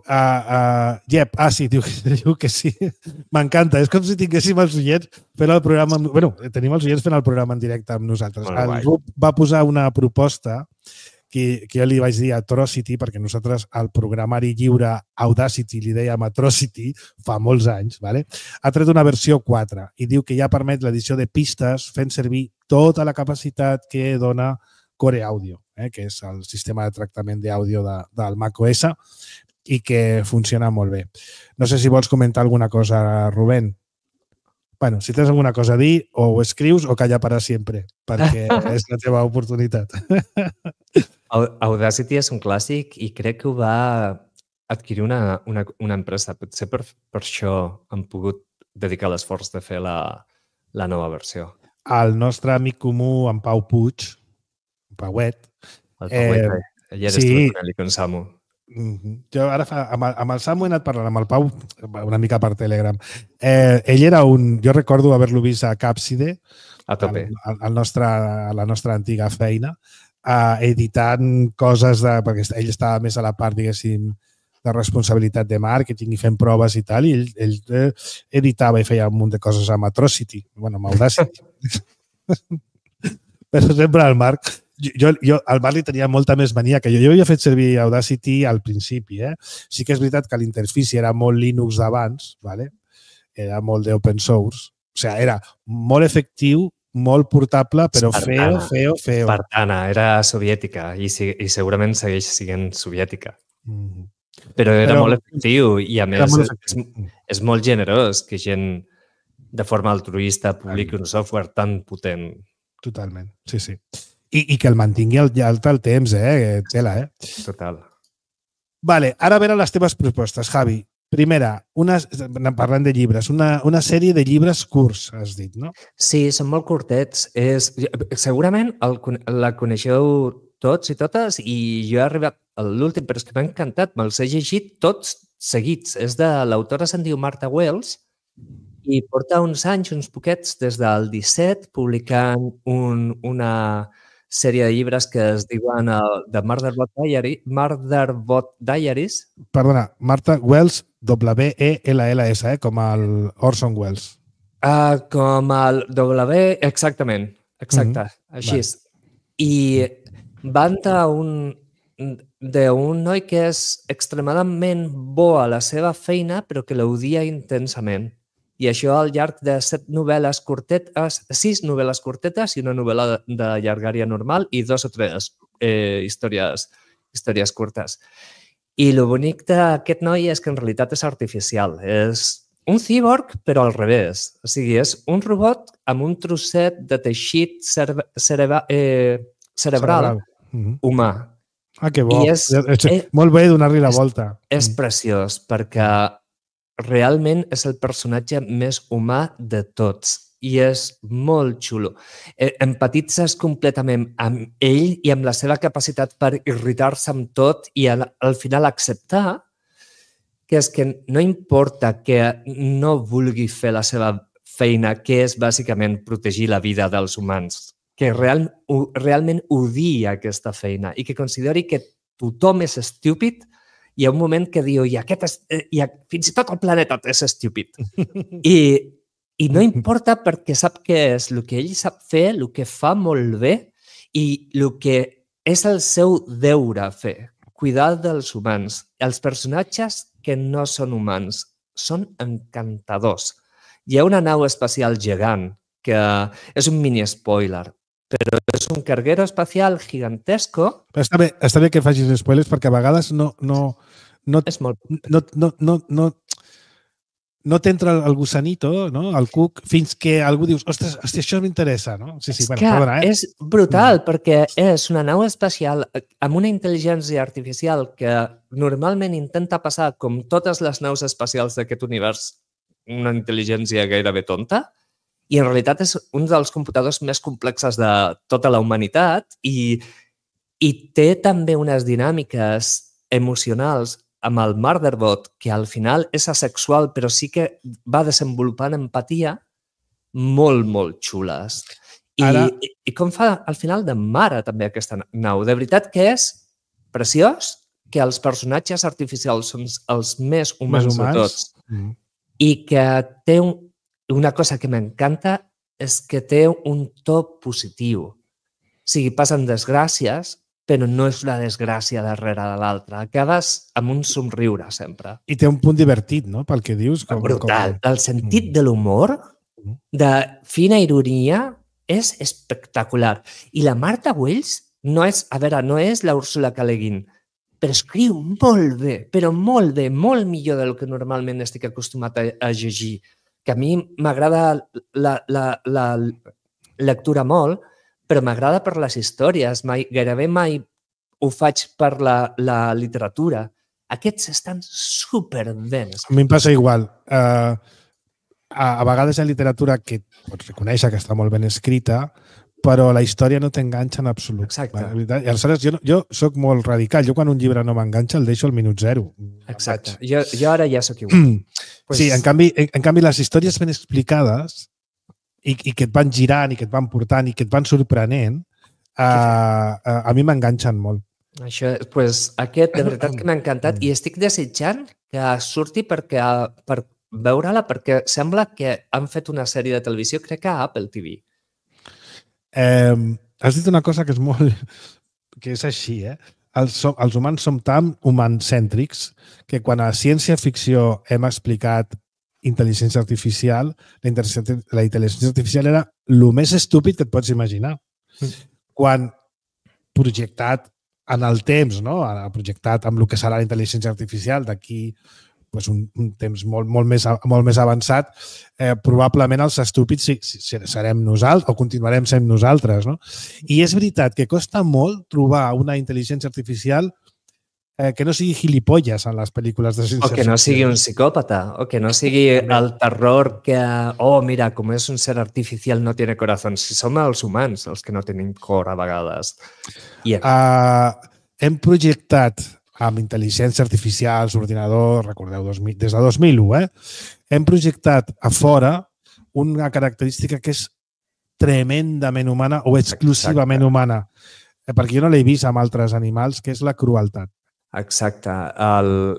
Jep, sí, diu que sí. M'encanta. És com si tinguéssim els oients fent el programa... Bueno, tenim els oients fent el programa en directe amb nosaltres. El Rup va posar una proposta que jo li vaig dir Atrocity, perquè nosaltres al programari lliure Audacity li dèiem Atrocity fa molts anys, ¿vale? Ha tret una versió 4 i diu que ja permet l'edició de pistes fent servir tota la capacitat que dona Core Audio, que és el sistema de tractament d'àudio del macOS i que funciona molt bé. No sé si vols comentar alguna cosa, Rubén. Bueno, si tens alguna cosa a dir, o ho escrius o calla para sempre, perquè és la teva oportunitat. Audacity és un clàssic i crec que ho va adquirir una empresa. Potser per això han pogut dedicar l'esforç de fer la nova versió. El nostre amic comú, en Pau Puig, Pauet. El Pauet, ell era estudiant con Samu. Jo ara amb el Samu he anat parlant, amb el Pau una mica per Telegram. Ell era jo recordo haver-lo vist a Capside, a tope. A la nostra antiga feina, editant coses, perquè ell estava més a la part, diguéssim, de responsabilitat de màrqueting i fent proves i tal, i ell editava i feia un munt de coses amb Atrocity, bueno, amb Audacity. Però sempre al Marc... Jo al Marc li tenia molta més mania que jo. Jo havia fet servir Audacity al principi. Sí que és veritat que l'interfici era molt Linux d'abans, ¿vale? Era molt d'open source. O sigui, era molt efectiu, molt portable, però feo. Espartana, era soviètica i segurament segueix sent soviètica. Però era molt efectiu i a més és molt generós que gent de forma altruista publiqui un software tan potent. Totalment, sí. I que el mantingui al temps, tela, Total. Vale, ara venen les teves propostes, Javi. Primera, parlant de llibres, una sèrie de llibres curts, has dit, no? Sí, són molt curtets. Segurament la coneixeu tots i totes i jo he arribat a l'últim, però és que m'ha encantat, me'ls he llegit tots seguits. És de l'autora se'n diu Martha Wells i porta uns anys, uns poquets, des del 17, publicant una sèrie de llibres que es diuen The Murderbot Diaries. Perdona, Martha Wells, W-E-L-L-S, com el Orson Welles. Com el W, exactament. Exacte, així és. I van d'un noi que és extremadament bo a la seva feina, però que l'odia intensament. I això al llarg de 6 novel·les curtetes i una novel·la de llargària normal i 2 o 3 històries curtes. I el bonic d'aquest noi és que en realitat és artificial. És un cíborg, però al revés. O sigui, és un robot amb un trosset de teixit cerebral humà. Que bo. Molt bé donar-li la volta. És preciós perquè realment és el personatge més humà de tots i és molt xulo. Empatitzes completament amb ell i amb la seva capacitat per irritar-se amb tot i al final acceptar que és que no importa que no vulgui fer la seva feina, que és bàsicament protegir la vida dels humans, que realment odia aquesta feina i que consideri que tothom és estúpid. Hi ha un moment que diu, fins i tot el planeta és estúpid. I no importa perquè sap què és el que ell sap fer, el que fa molt bé i el que és el seu deure fer, cuidar dels humans. Els personatges que no són humans són encantadors. Hi ha una nau espacial gegant, que és un mini spoiler, però és un carguero espacial gigantesco. Està bé que facis spoilers perquè a vegades no t'entra el gusanito, el cuc, fins que algú dius, ostres, això m'interessa, no? Sí, perdona, És brutal, perquè és una nau espacial amb una intel·ligència artificial que normalment intenta passar, com totes les naus espacials d'aquest univers, una intel·ligència gairebé tonta, i en realitat és un dels computadors més complexes de tota la humanitat i té també unes dinàmiques emocionals amb el Murderbot, que al final és asexual, però sí que va desenvolupant empatia molt, molt xules. I com fa al final de mare també aquesta nau. De veritat que és preciós que els personatges artificials són els més humans de tots i que té una cosa que m'encanta és que té un to positiu. O sigui, passen desgràcies, però no és la desgràcia darrere de l'altra. Acabes amb un somriure sempre. I té un punt divertit, no?, pel que dius. Brutal. El sentit de l'humor, de fina ironia, és espectacular. I la Marta Wells no és la Úrsula K. Le Guin, però escriu molt bé, però molt bé, molt millor del que normalment estic acostumat a llegir. Que a mi m'agrada la lectura molt, però m'agrada per les històries. Gairebé mai ho faig per la literatura. Aquests estan superben. A mi em passa igual. A vegades hi ha literatura que pots reconèixer que està molt ben escrita, però la història no t'enganxa en absolut. Exacte. I aleshores jo soc molt radical. Jo quan un llibre no m'enganxa el deixo al minut 0. Exacte. Jo ara ja soc igual. Sí, en canvi les històries ben explicades i que et van girant i que et van portant i que et van sorprenent, a mi m'enganxen molt. Això, aquest de veritat que m'ha encantat i estic desitjant que surti per veure-la perquè sembla que han fet una sèrie de televisió, crec que a Apple TV. Has dit una cosa que és molt... que és així, Els humans som tan humancèntrics que quan a ciència-ficció hem explicat intel·ligència artificial, la intel·ligència artificial era el més estúpid que et pots imaginar. Quan projectat en el temps, no? Projectat amb el que serà la intel·ligència artificial d'aquí un temps molt més avançat, probablement els estúpids serem nosaltres o continuarem sent nosaltres. No? I és veritat que costa molt trobar una intel·ligència artificial que no sigui gilipolles en les pel·lícules de ciència-ficció. O que no sigui un psicòpata, o que no sigui el terror que, mira, com és un ser artificial no tiene corazón. Si som els humans els que no tenim cor a vegades. Hem projectat amb intel·ligència artificial, l'ordinador, recordeu, des de 2001, hem projectat a fora una característica que és tremendament humana o exclusivament humana, perquè jo no l'he vist amb altres animals, que és la crueltat. Exacte.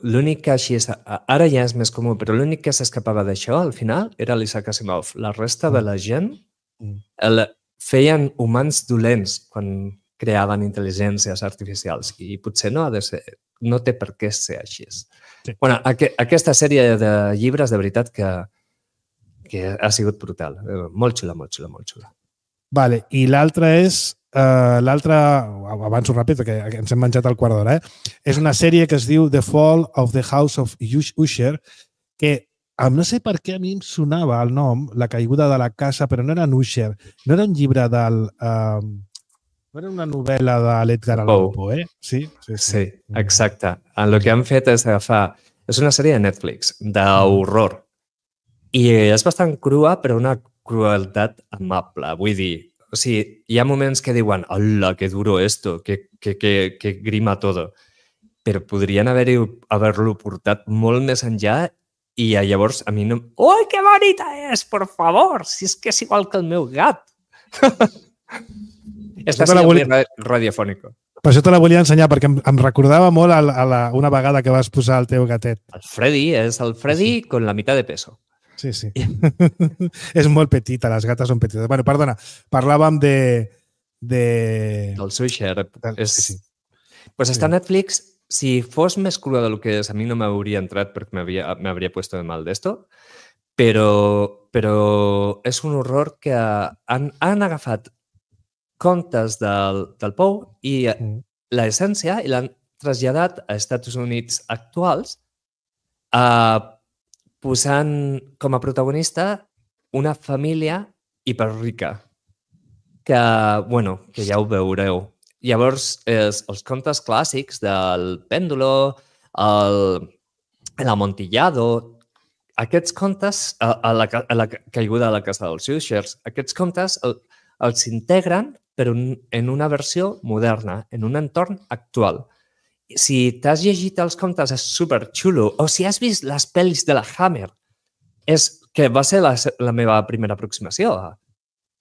L'únic que així ara ja és més comú, però l'únic que s'escapava d'això al final era l'Isaac Asimov. La resta de la gent feien humans dolents quan creaven intel·ligències artificials i potser no té per què ser així. Sí. Bueno, aquesta sèrie de llibres, de veritat, que ha sigut brutal. Molt xula, molt xula, molt xula. Vale, i l'altra és... avanço ràpid perquè ens hem menjat el quart d'hora. És una sèrie que es diu The Fall of the House of Usher, que no sé per què a mi em sonava el nom, La caiguda de la casa, però no era en Usher. No era un llibre del... no era una novel·la de l'Edgar Allan Poe, Sí, exacte. El que han fet és agafar... És una sèrie de Netflix, d'horror. I és bastant crua, però una crueltat amable. Vull dir, o sigui, hi ha moments que diuen «Hola, que duro esto, que grima todo». Però podrien haver-lo portat molt més enllà i llavors a mi no... «Ui, que bonita és, por favor! Si és que és igual que el meu gat!» Està sent radiofònico. Per això te la volia ensenyar, perquè em recordava molt una vegada que vas posar el teu gatet. El Freddy és el Freddy con la mitad de peso. Sí. És molt petita, les gates són petites. Bueno, perdona, parlàvem del Usher. Pues està a Netflix. Si fos més crua del que és, a mi no m'hauria entrat perquè m'hauria puesto de mal d'esto, però és un horror que han agafat contes del Poe i l'essència i l'han traslladat a Estats Units actuals posant com a protagonista una família hiperrica que ja ho veureu. Llavors, els contes clàssics del Péndulo, l'Amontillado, aquests contes, a la caiguda de la casa dels Ushers, aquests contes els integren però en una versió moderna, en un entorn actual. Si t'has llegit els contes és superxulo, o si has vist les pel·lis de la Hammer, que va ser la meva primera aproximació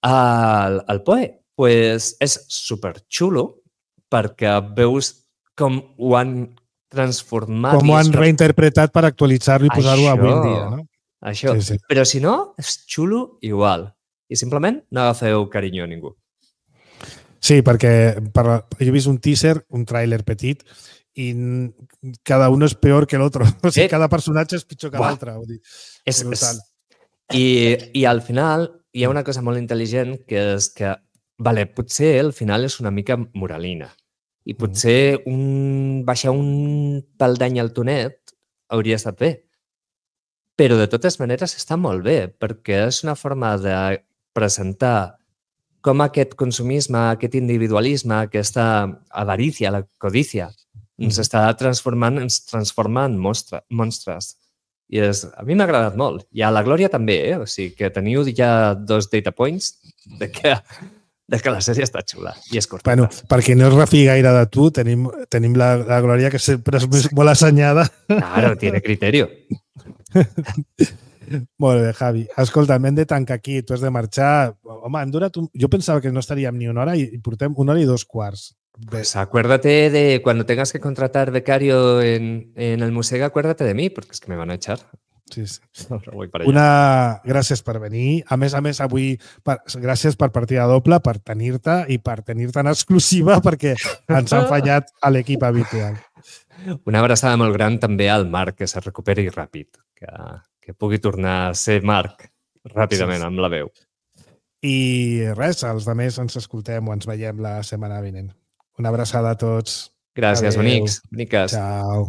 al Poe, pues és superxulo perquè veus com ho han transformat. Com ho han reinterpretat per actualitzar-lo i posar-ho avui en dia, no? Això. Sí. Però si no, és xulo igual. I simplement no agafeu carinyo a ningú. Sí, perquè jo he vist un teaser, un tràiler petit, i cada un és peor que l'altre. O sigui, cada personatge és pitjor que l'altre. És brutal. I al final hi ha una cosa molt intel·ligent que és que, potser al final és una mica moralina i potser baixar un pal d'any al tonet hauria estat bé. Però de totes maneres està molt bé perquè és una forma de presentar com aquest consumisme, aquest individualisme, aquesta avarícia, la codícia, ens està transformant, ens transforma en monstres. I a mi m'ha agradat molt. I a la Glòria també, O sigui que teniu ja 2 data points de que la sèrie està xula i és curta. Bueno, perquè no es refi gaire de tu, tenim la Glòria que sempre és molt assenyada. Claro, tiene criterio. Molt bé, Javi. Escolta, hem de tancar aquí, tu has de marxar. Home, hem durat jo pensava que no estaríem ni una hora i portem 1 hora i 2 quarts. Pues acuérdate de cuando tengas que contratar becario en el museo, acuérdate de mí, porque es que me van a echar. Sí. Voy para allà. Gràcies per venir. A més, avui, gràcies per partida doble, per tenir-te i per tenir-te en exclusiva, perquè ens han fallat a l'equip habitual. Una abraçada molt gran també al Marc, que se recuperi ràpid, que pugui tornar a ser Marc ràpidament amb la veu. I res, els altres ens escoltem o ens veiem la setmana vinent. Una abraçada a tots. Gràcies, bonics, boniques. Ciao.